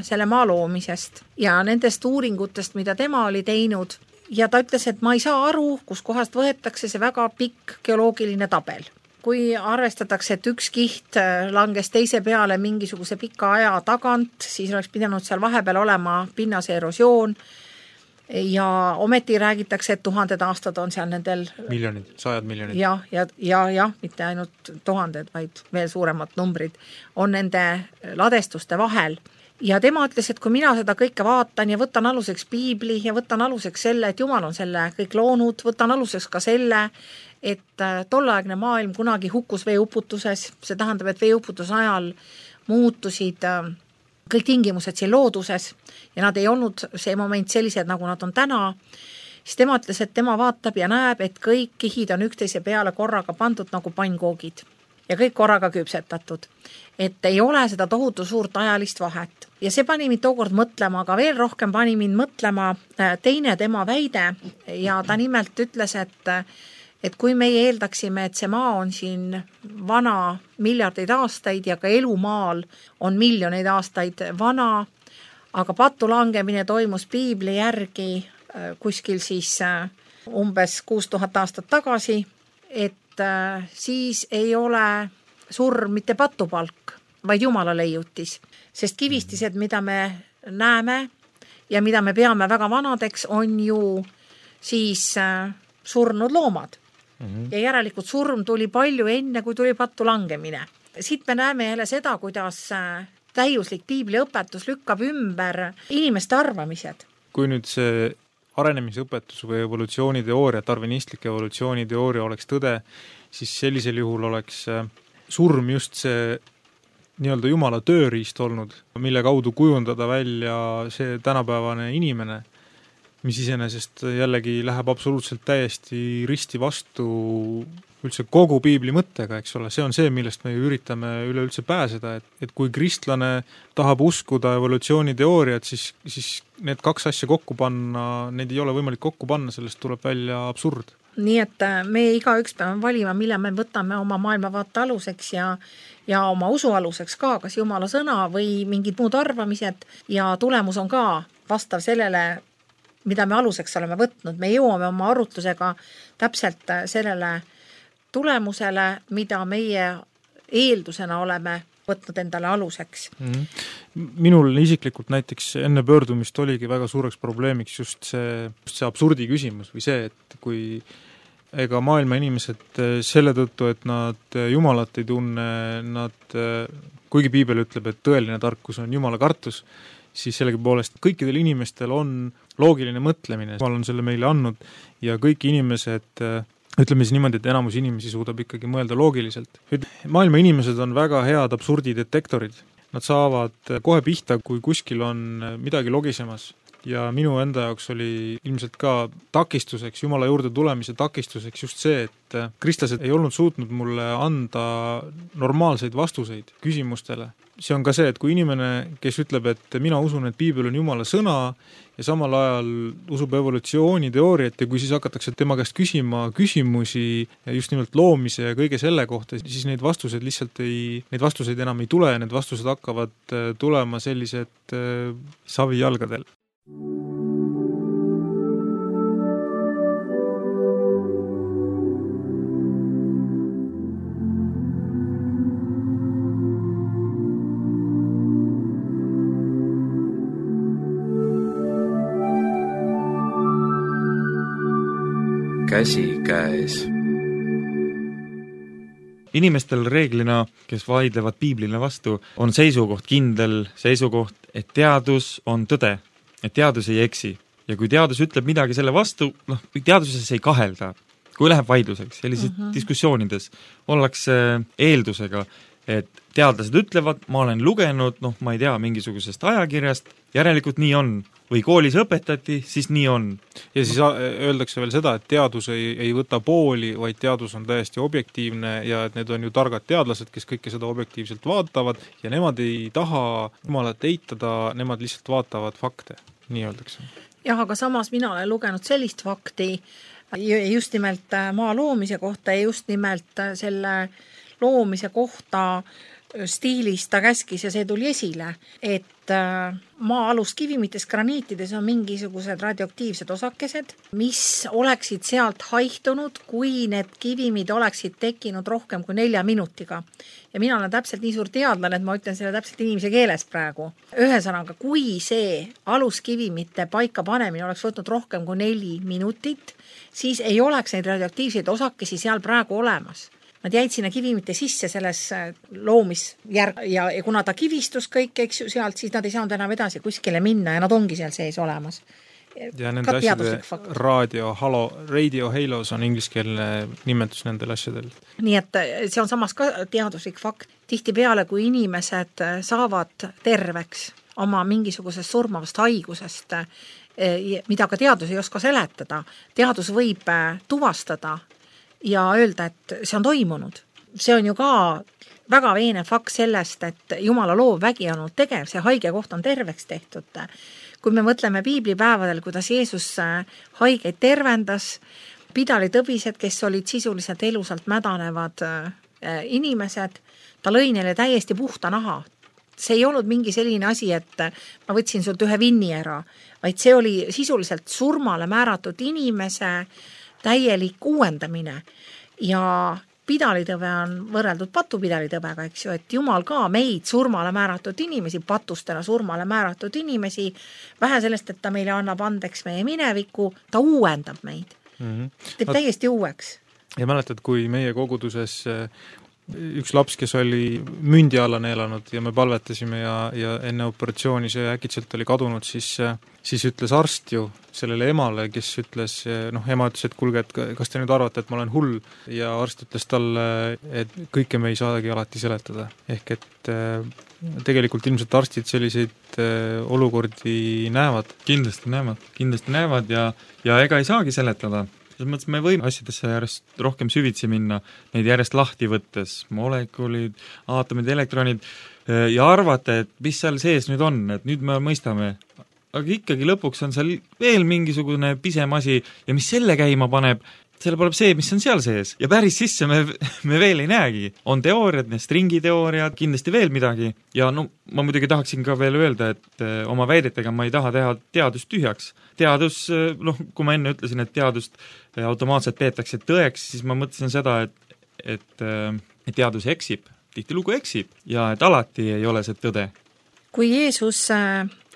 selle maa loomisest ja nendest uuringutest, mida tema oli teinud. Ja ta ütles, et ma ei saa aru, kus kohast võetakse see väga pikk geoloogiline tabel. Kui arvestatakse, et üks kiht langes teise peale mingisuguse pika aja tagant, siis oleks pidanud seal vahepeal olema pinnase erosioon ja ometi räägitakse, et 1000 aastad on seal nendel miljonid, 100 miljonid. Ja, mitte ainult 1000, vaid veel suuremad numbrid on nende ladestuste vahel. Ja tema ütles, et kui mina seda kõike vaatan ja võtan aluseks piibli ja võtan aluseks selle, et Jumal on selle kõik loonud, võtan aluseks ka selle, et tolleaegne maailm kunagi hukkus veeuputuses, see tähendab, et veeuputuse ajal muutusid kõik tingimused siin looduses ja nad ei olnud see moment sellised, nagu nad on täna, siis tema ütles, et tema vaatab ja näeb, et kõik kihid on üksteise peale korraga pandud nagu pannkoogid ja kõik korraga küpsetatud. Et ei ole seda tohutu suurt ajalist vahet. Ja see pani mind tookord mõtlema, aga veel rohkem pani mind mõtlema teine tema väide ja ta nimelt ütles, et kui meie eeldaksime, et see maa on siin vana miljardeid aastaid ja ka elumaal on miljoneid aastaid vana, aga pattu langemine toimus piibli järgi kuskil siis umbes 6000 aastat tagasi, et siis ei ole surm mitte patupalk, vaid Jumala leiutis. Sest kivistised, mida me näeme ja mida me peame väga vanadeks, on ju siis surnud loomad. Ja järelikult surm tuli palju enne, kui tuli pattu langemine. Siit me näeme jälle seda, kuidas täiuslik piibliõpetus lükkab ümber inimeste arvamised. Kui nüüd see arenemisõpetus või evolutsiooniteooria, darwinistlik evolutsiooniteooria oleks tõde, siis sellisel juhul oleks surm just see nii-öelda Jumala tööriist olnud, mille kaudu kujundada välja see tänapäevane inimene, mis iseenesest jällegi läheb absoluutselt täiesti risti vastu üldse kogu piibli mõttega, eks ole, see on see, millest me üritame üleüldse pääseda, et kui kristlane tahab uskuda evolutsiooniteooriat, siis need kaks asja kokku panna, need ei ole võimalik kokku panna, sellest tuleb välja absurd. Nii et me igaüks peame valima, mille me võtame oma maailmavaate aluseks ja oma usu aluseks ka, kas Jumala sõna või mingid muud arvamised ja tulemus on ka vastav sellele, mida me aluseks oleme võtnud. Me jõuame oma arutlusega täpselt sellele tulemusele, mida meie eeldusena oleme võtnud endale aluseks. Minul isiklikult näiteks enne pöördumist oligi väga suureks probleemiks just see absurdi küsimus või see, et kui ega maailma inimesed selle tõttu, et nad Jumalat ei tunne, kuigi piibel ütleb, et tõeline tarkus on Jumala kartus, siis sellegipoolest kõikidel inimestel on loogiline mõtlemine, Jumal on selle meile andnud ja kõik inimesed, ütleme siis niimoodi, et enamus inimesi suudab ikkagi mõelda loogiliselt. Maailma inimesed on väga head absurdidetektorid. Nad saavad kohe pihta, kui kuskil on midagi logisemas. ja minu enda jaoks oli ilmselt ka takistuseks, Jumala juurde tulemise takistuseks just see, et kristlased ei olnud suutnud mulle anda normaalseid vastuseid küsimustele. See on ka see, et kui inimene, kes ütleb, et mina usun, et piibel on Jumala sõna ja samal ajal usub evolutsiooniteooriat ja kui siis hakatakse tema käest küsima küsimusi just nimelt loomise ja kõige selle kohta, siis neid vastuseid enam ei tule ja need vastused hakkavad tulema sellised savijalgadel. Käsikäes. Inimestel reeglina, kes vaidlevad piiblile vastu, on kindel seisukoht, et teadus on tõde, et teadus ei eksi. Ja kui teadus ütleb midagi selle vastu, teaduses ei kahelda. Kui läheb vaidluseks, sellises diskussioonides ollakse eeldusega, et teadlased ütlevad, ma olen lugenud, ma ei tea, mingisugusest ajakirjast, järelikult nii on. Või koolis õpetati, siis nii on. Ja siis öeldakse veel seda, et teadus ei võta pooli, vaid teadus on täiesti objektiivne ja et need on ju targad teadlased, kes kõike seda objektiivselt vaatavad ja nemad ei taha jumalat eitada, nemad lihtsalt vaatavad fakte, nii öeldakse. Jah, aga samas mina olen lugenud sellist fakti just nimelt maa loomise kohta ja just nimelt selle loomise kohta stiilis ta käskis ja see tuli esile, et maa aluskivimites, graniitides on mingisugused radioaktiivsed osakesed, mis oleksid sealt haihtunud, kui need kivimid oleksid tekkinud rohkem kui 4 minutiga. Ja mina olen täpselt nii suur teadlane, et ma ütlen selle täpselt inimese keeles praegu. Ühesõnaga, kui see aluskivimite paika panemine oleks võtnud rohkem kui 4 minutit, siis ei oleks neid radioaktiivseid osakesi seal praegu olemas. Nad jäid sinna kivimite sisse selles loomisjärg ja kuna ta kivistus kõik, eks ju, sealt, siis nad ei saanud enam edasi kuskile minna ja nad ongi seal sees olemas. Ja nende asjade radio halos on ingliskeelne nimetus nendel asjadel. Nii et see on samas ka teaduslik fakt. Tihtipeale, kui inimesed saavad terveks oma mingisugusest surmavast haigusest, mida ka teadus ei oska seletada, teadus võib tuvastada ja öelda, et see on toimunud. See on ju ka väga veene fakt sellest, et Jumala loov vägi on olnud tegev, see haige koht on terveks tehtud. Kui me mõtleme piiblipäevadel, kuidas Jeesus haigeid tervendas, pidalitõbised, kes olid sisuliselt elusalt mädanevad inimesed, ta lõi neile täiesti puhta naha. See ei olnud mingi selline asi, et ma võtsin sult ühe vinni ära, vaid see oli sisuliselt surmale määratud inimese täielik uuendamine ja pidalitõve on võrreldud patupidalitõvega, eks ju, et Jumal ka meid surmale määratud inimesi, patustena surmale määratud inimesi, vähe sellest, et ta meile annab andeks meie mineviku, ta uuendab meid. Teeb täiesti uueks. Ja mäletad, kui meie koguduses üks laps, kes oli mündi alla neelanud ja me palvetasime ja enne operatsiooni see äkitselt oli kadunud, siis ütles arst ju sellele emale, kes ütles, ema ütles, et kuulge, et kas te nüüd arvate, et ma olen hull ja arst ütles talle, et kõike me ei saagi alati seletada. Ehk et tegelikult ilmselt arstid selliseid olukordi näevad. Kindlasti näevad ja ega ei saagi seletada. Selles mõttes me võime asjadesse järjest rohkem süvitsi minna, neid järjest lahti võttes, molekulid, aatomid, elektronid ja arvata, et mis seal sees nüüd on, et nüüd me mõistame. Aga ikkagi lõpuks on seal veel mingisugune pisem asi ja mis selle käima paneb, selle paneb see, mis on seal sees. Ja päris sisse me veel ei näegi. On teooriad, need stringiteooriad, kindlasti veel midagi. Ja ma muidugi tahaksin ka veel öelda, et oma väidetega ma ei taha teha teadust tühjaks. Teadus, kui ma enne ütlesin, et teadust automaatselt peetakse tõeks, siis ma mõtlesin seda, et teadus eksib, tihtilugu eksib ja et alati ei ole see tõde. Kui Jeesus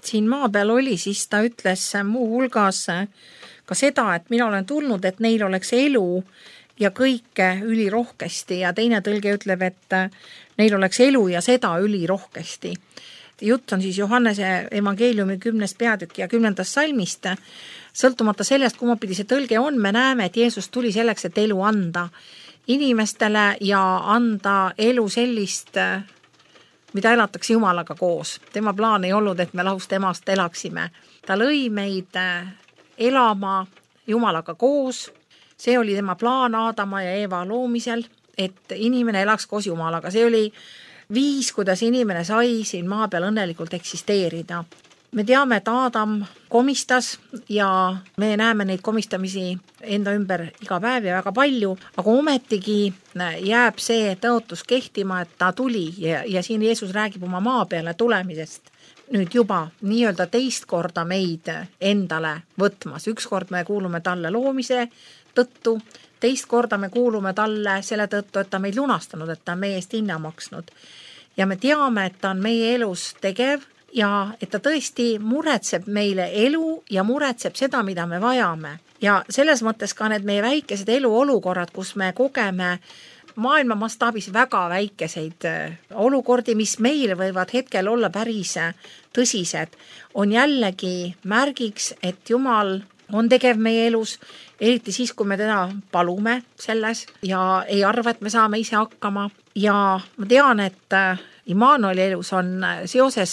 siin maa peal oli, siis ta ütles muu hulgas ka seda, et mina olen tulnud, et neil oleks elu ja kõike ülirohkesti ja teine tõlge ütleb, et neil oleks elu ja seda ülirohkesti. Jutt on siis Johannese evangeeliumi 10. peatükk ja 10. salmist. Sõltumata sellest, kummapidi see tõlge on, me näeme, et Jeesus tuli selleks, et elu anda inimestele ja anda elu sellist, mida elatakse Jumalaga koos. Tema plaan ei olnud, et me lahust emast elaksime. ta lõi meid elama Jumalaga koos, see oli tema plaan Aadama ja Eeva loomisel, et inimene elaks koos Jumalaga, see oli viis, kuidas inimene sai siin maa peal õnnelikult eksisteerida. Me teame, et Aadam komistas ja me näeme neid komistamisi enda ümber iga päev ja väga palju, aga ometigi jääb see tõotus kehtima, et ta tuli ja siin Jeesus räägib oma maa peale tulemisest. Nüüd juba nii-öelda teist korda meid endale võtmas. Üks kord me kuulume talle loomise tõttu, teist korda me kuulume talle selle tõttu, et ta meid lunastanud, et ta on meie eest hinna maksnud. Ja me teame, et ta on meie elus tegev ja et ta tõesti muretseb meile elu ja muretseb seda, mida me vajame. Ja selles mõttes ka need meie väikesed eluolukorrad, kus me kogeme maailma mastaabis väga väikeseid olukordi, mis meile võivad hetkel olla päris tõsised, on jällegi märgiks, et Jumal on tegev meie elus, eriti siis, kui me teda palume selles ja ei arva, et me saame ise hakkama. Ja ma tean, et Immanueli elus on seoses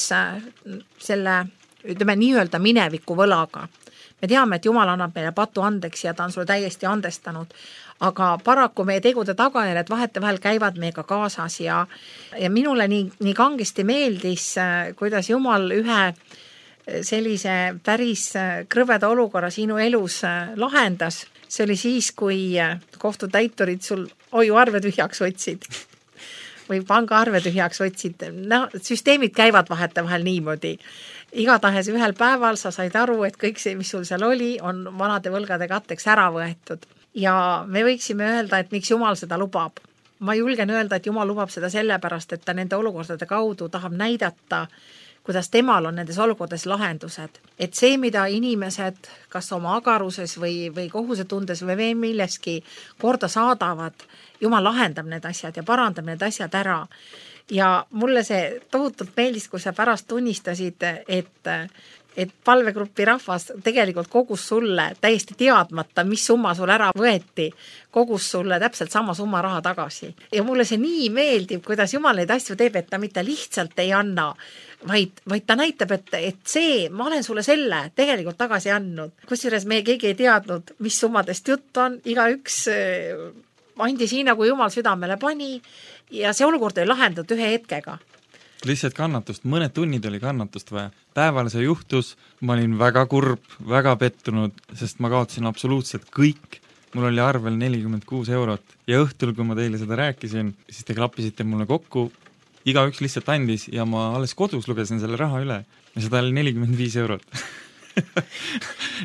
selle, ütleme, nii-öelda mineviku võlaga. Me teame, et Jumal annab meile patu andeks ja ta on sulle täiesti andestanud, aga paraku meie tegude tagajärjed vahetevahel käivad meiega kaasas ja minule nii kangesti meeldis, kuidas Jumal ühe sellise päris krõveda olukorra sinu elus lahendas. See oli siis, kui kohtutäiturid sul hoiuarve tühjaks võtsid või pangaarve tühjaks võtsid. No, süsteemid käivad vahetevahel niimoodi. Igatahes ühel päeval sa said aru, et kõik see, mis sul seal oli, on vanade võlgade katteks ära võetud. Ja me võiksime öelda, et miks Jumal seda lubab. Ma julgen öelda, et Jumal lubab seda sellepärast, et ta nende olukordade kaudu tahab näidata, kuidas temal on nendes olukordades lahendused. Et see, mida inimesed kas oma agaruses või kohusetundes või milleski korda saadavad, Jumal lahendab need asjad ja parandab need asjad ära. Ja mulle see tohutult meeldis, kui sa pärast tunnistasid, et palvegrupi rahvas tegelikult kogus sulle täiesti teadmata, mis summa sul ära võeti, kogus sulle täpselt sama summa raha tagasi. Ja mulle see nii meeldib, kuidas Jumal neid asju teeb, et ta mitte lihtsalt ei anna, vaid ta näitab, et see, ma olen sulle selle tegelikult tagasi andnud. Kusjuures me keegi ei teadnud, mis summadest jutt on, igaüks andis nii, nagu Jumal südamele pani ja see olukord oli lahendatud ühe hetkega. Lihtsalt kannatust, mõned tunnid oli kannatust vaja. Päeval see juhtus, ma olin väga kurb, väga pettunud, sest ma kaotasin absoluutselt kõik. Mul oli arvel 46 eurot ja õhtul, kui ma teile seda rääkisin, siis te klappisite mulle kokku, igaüks lihtsalt andis ja ma alles kodus lugesin selle raha üle ja seda oli 45 eurot.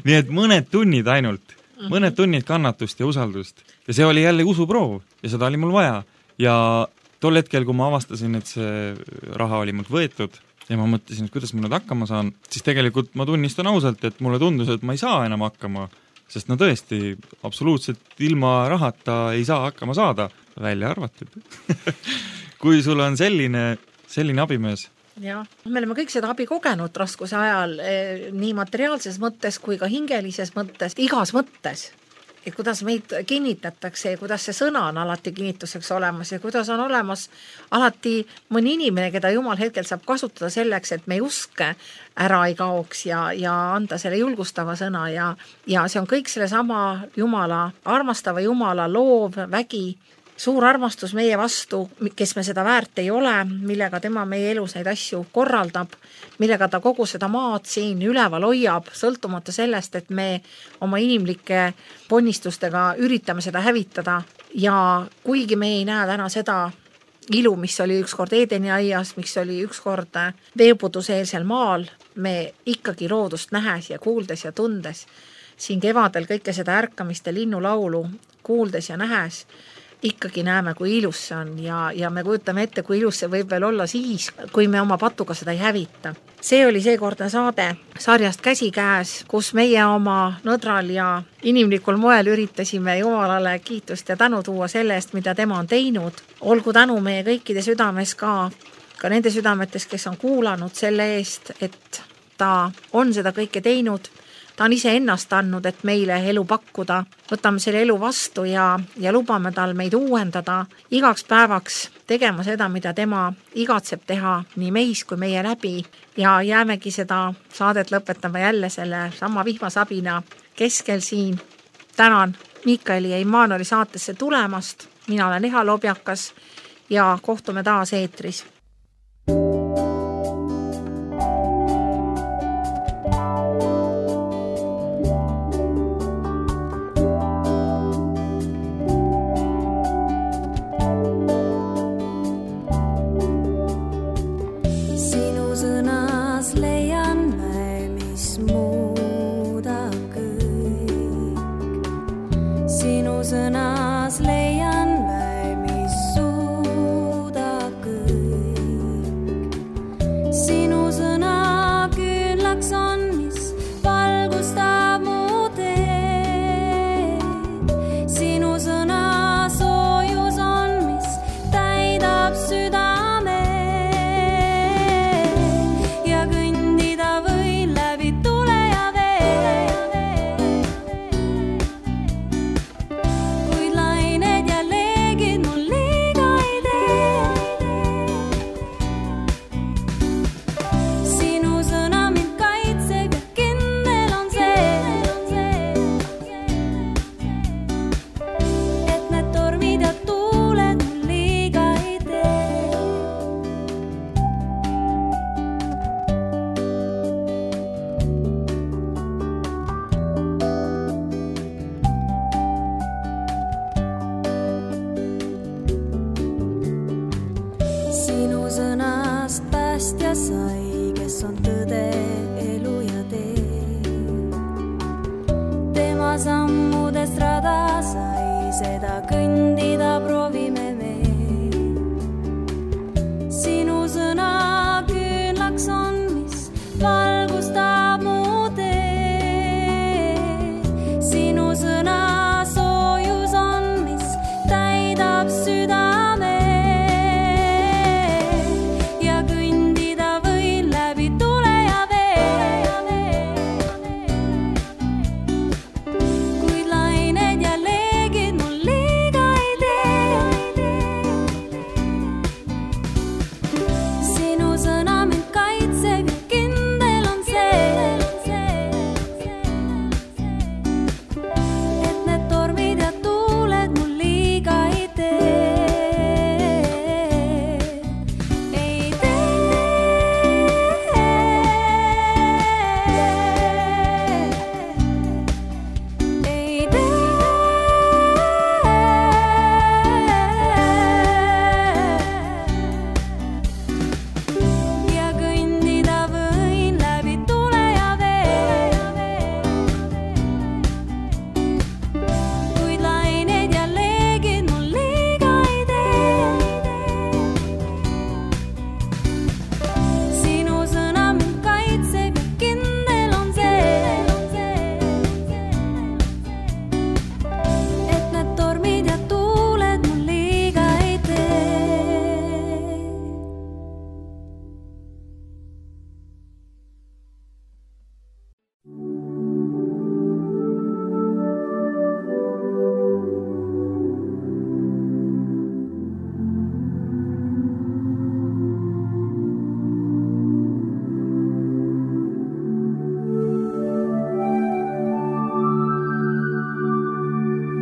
Nii et mõned tunnid ainult, mõned tunnid kannatust ja usaldust ja see oli jälle usuproov ja seda oli mul vaja ja tol hetkel, kui ma avastasin, et see raha oli mult võetud ja ma mõtlesin, et kuidas ma nüüd hakkama saan, siis tegelikult ma tunnistan ausalt, et mulle tundus, et ma ei saa enam hakkama, sest no tõesti, absoluutselt ilma rahata ei saa hakkama saada, välja arvatud. Kui sul on selline abimees. Ja, me oleme kõik seda abi kogenud raskuse ajal, nii materiaalses mõttes kui ka hingelises mõttes, igas mõttes. Et kuidas meid kinnitatakse ja kuidas see sõna on alati kinnituseks olemas ja kuidas on olemas alati mõni inimene, keda Jumal hetkel saab kasutada selleks, et me usk ära ei kaoks ja anda selle julgustava sõna ja see on kõik selle sama Jumala, armastava Jumala loov vägi, suur armastus meie vastu, kes me seda väärt ei ole, millega tema meie elus neid asju korraldab, millega ta kogu seda maad siin üleval hoiab, sõltumata sellest, et me oma inimlike ponnistustega üritame seda hävitada ja kuigi me ei näe täna seda ilu, mis oli ükskord Eedeni aias, mis oli ükskord veepuduseelsel maal, me ikkagi loodust nähes ja kuuldes ja tundes, siin kevadel kõike seda ärkamist ja linnulaulu kuuldes ja nähes, ikkagi näeme, kui ilus see on ja me kujutame ette, kui ilus see võib veel olla siis, kui me oma patuga seda ei hävita. See oli seekordne saade sarjast Käsikäes, kus meie oma nõdral ja inimlikul moel üritasime Jumalale kiitust ja tänu tuua selle eest, mida tema on teinud. Olgu tänu meie kõikide südames ka nende südametes, kes on kuulanud selle eest, et ta on seda kõike teinud. ta on ise ennast andnud, et meile elu pakkuda. Võtame selle elu vastu ja lubame tal meid uuendada igaks päevaks tegema seda, mida tema igatseb teha nii meis kui meie läbi ja jäämegi seda saadet lõpetama jälle selle sama vihmasabina keskel siin. Tänan Miikaeli ja Immanueli saatesse tulemast. Mina olen Eha Lobjakas ja kohtume taas eetris.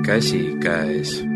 Käsikäes.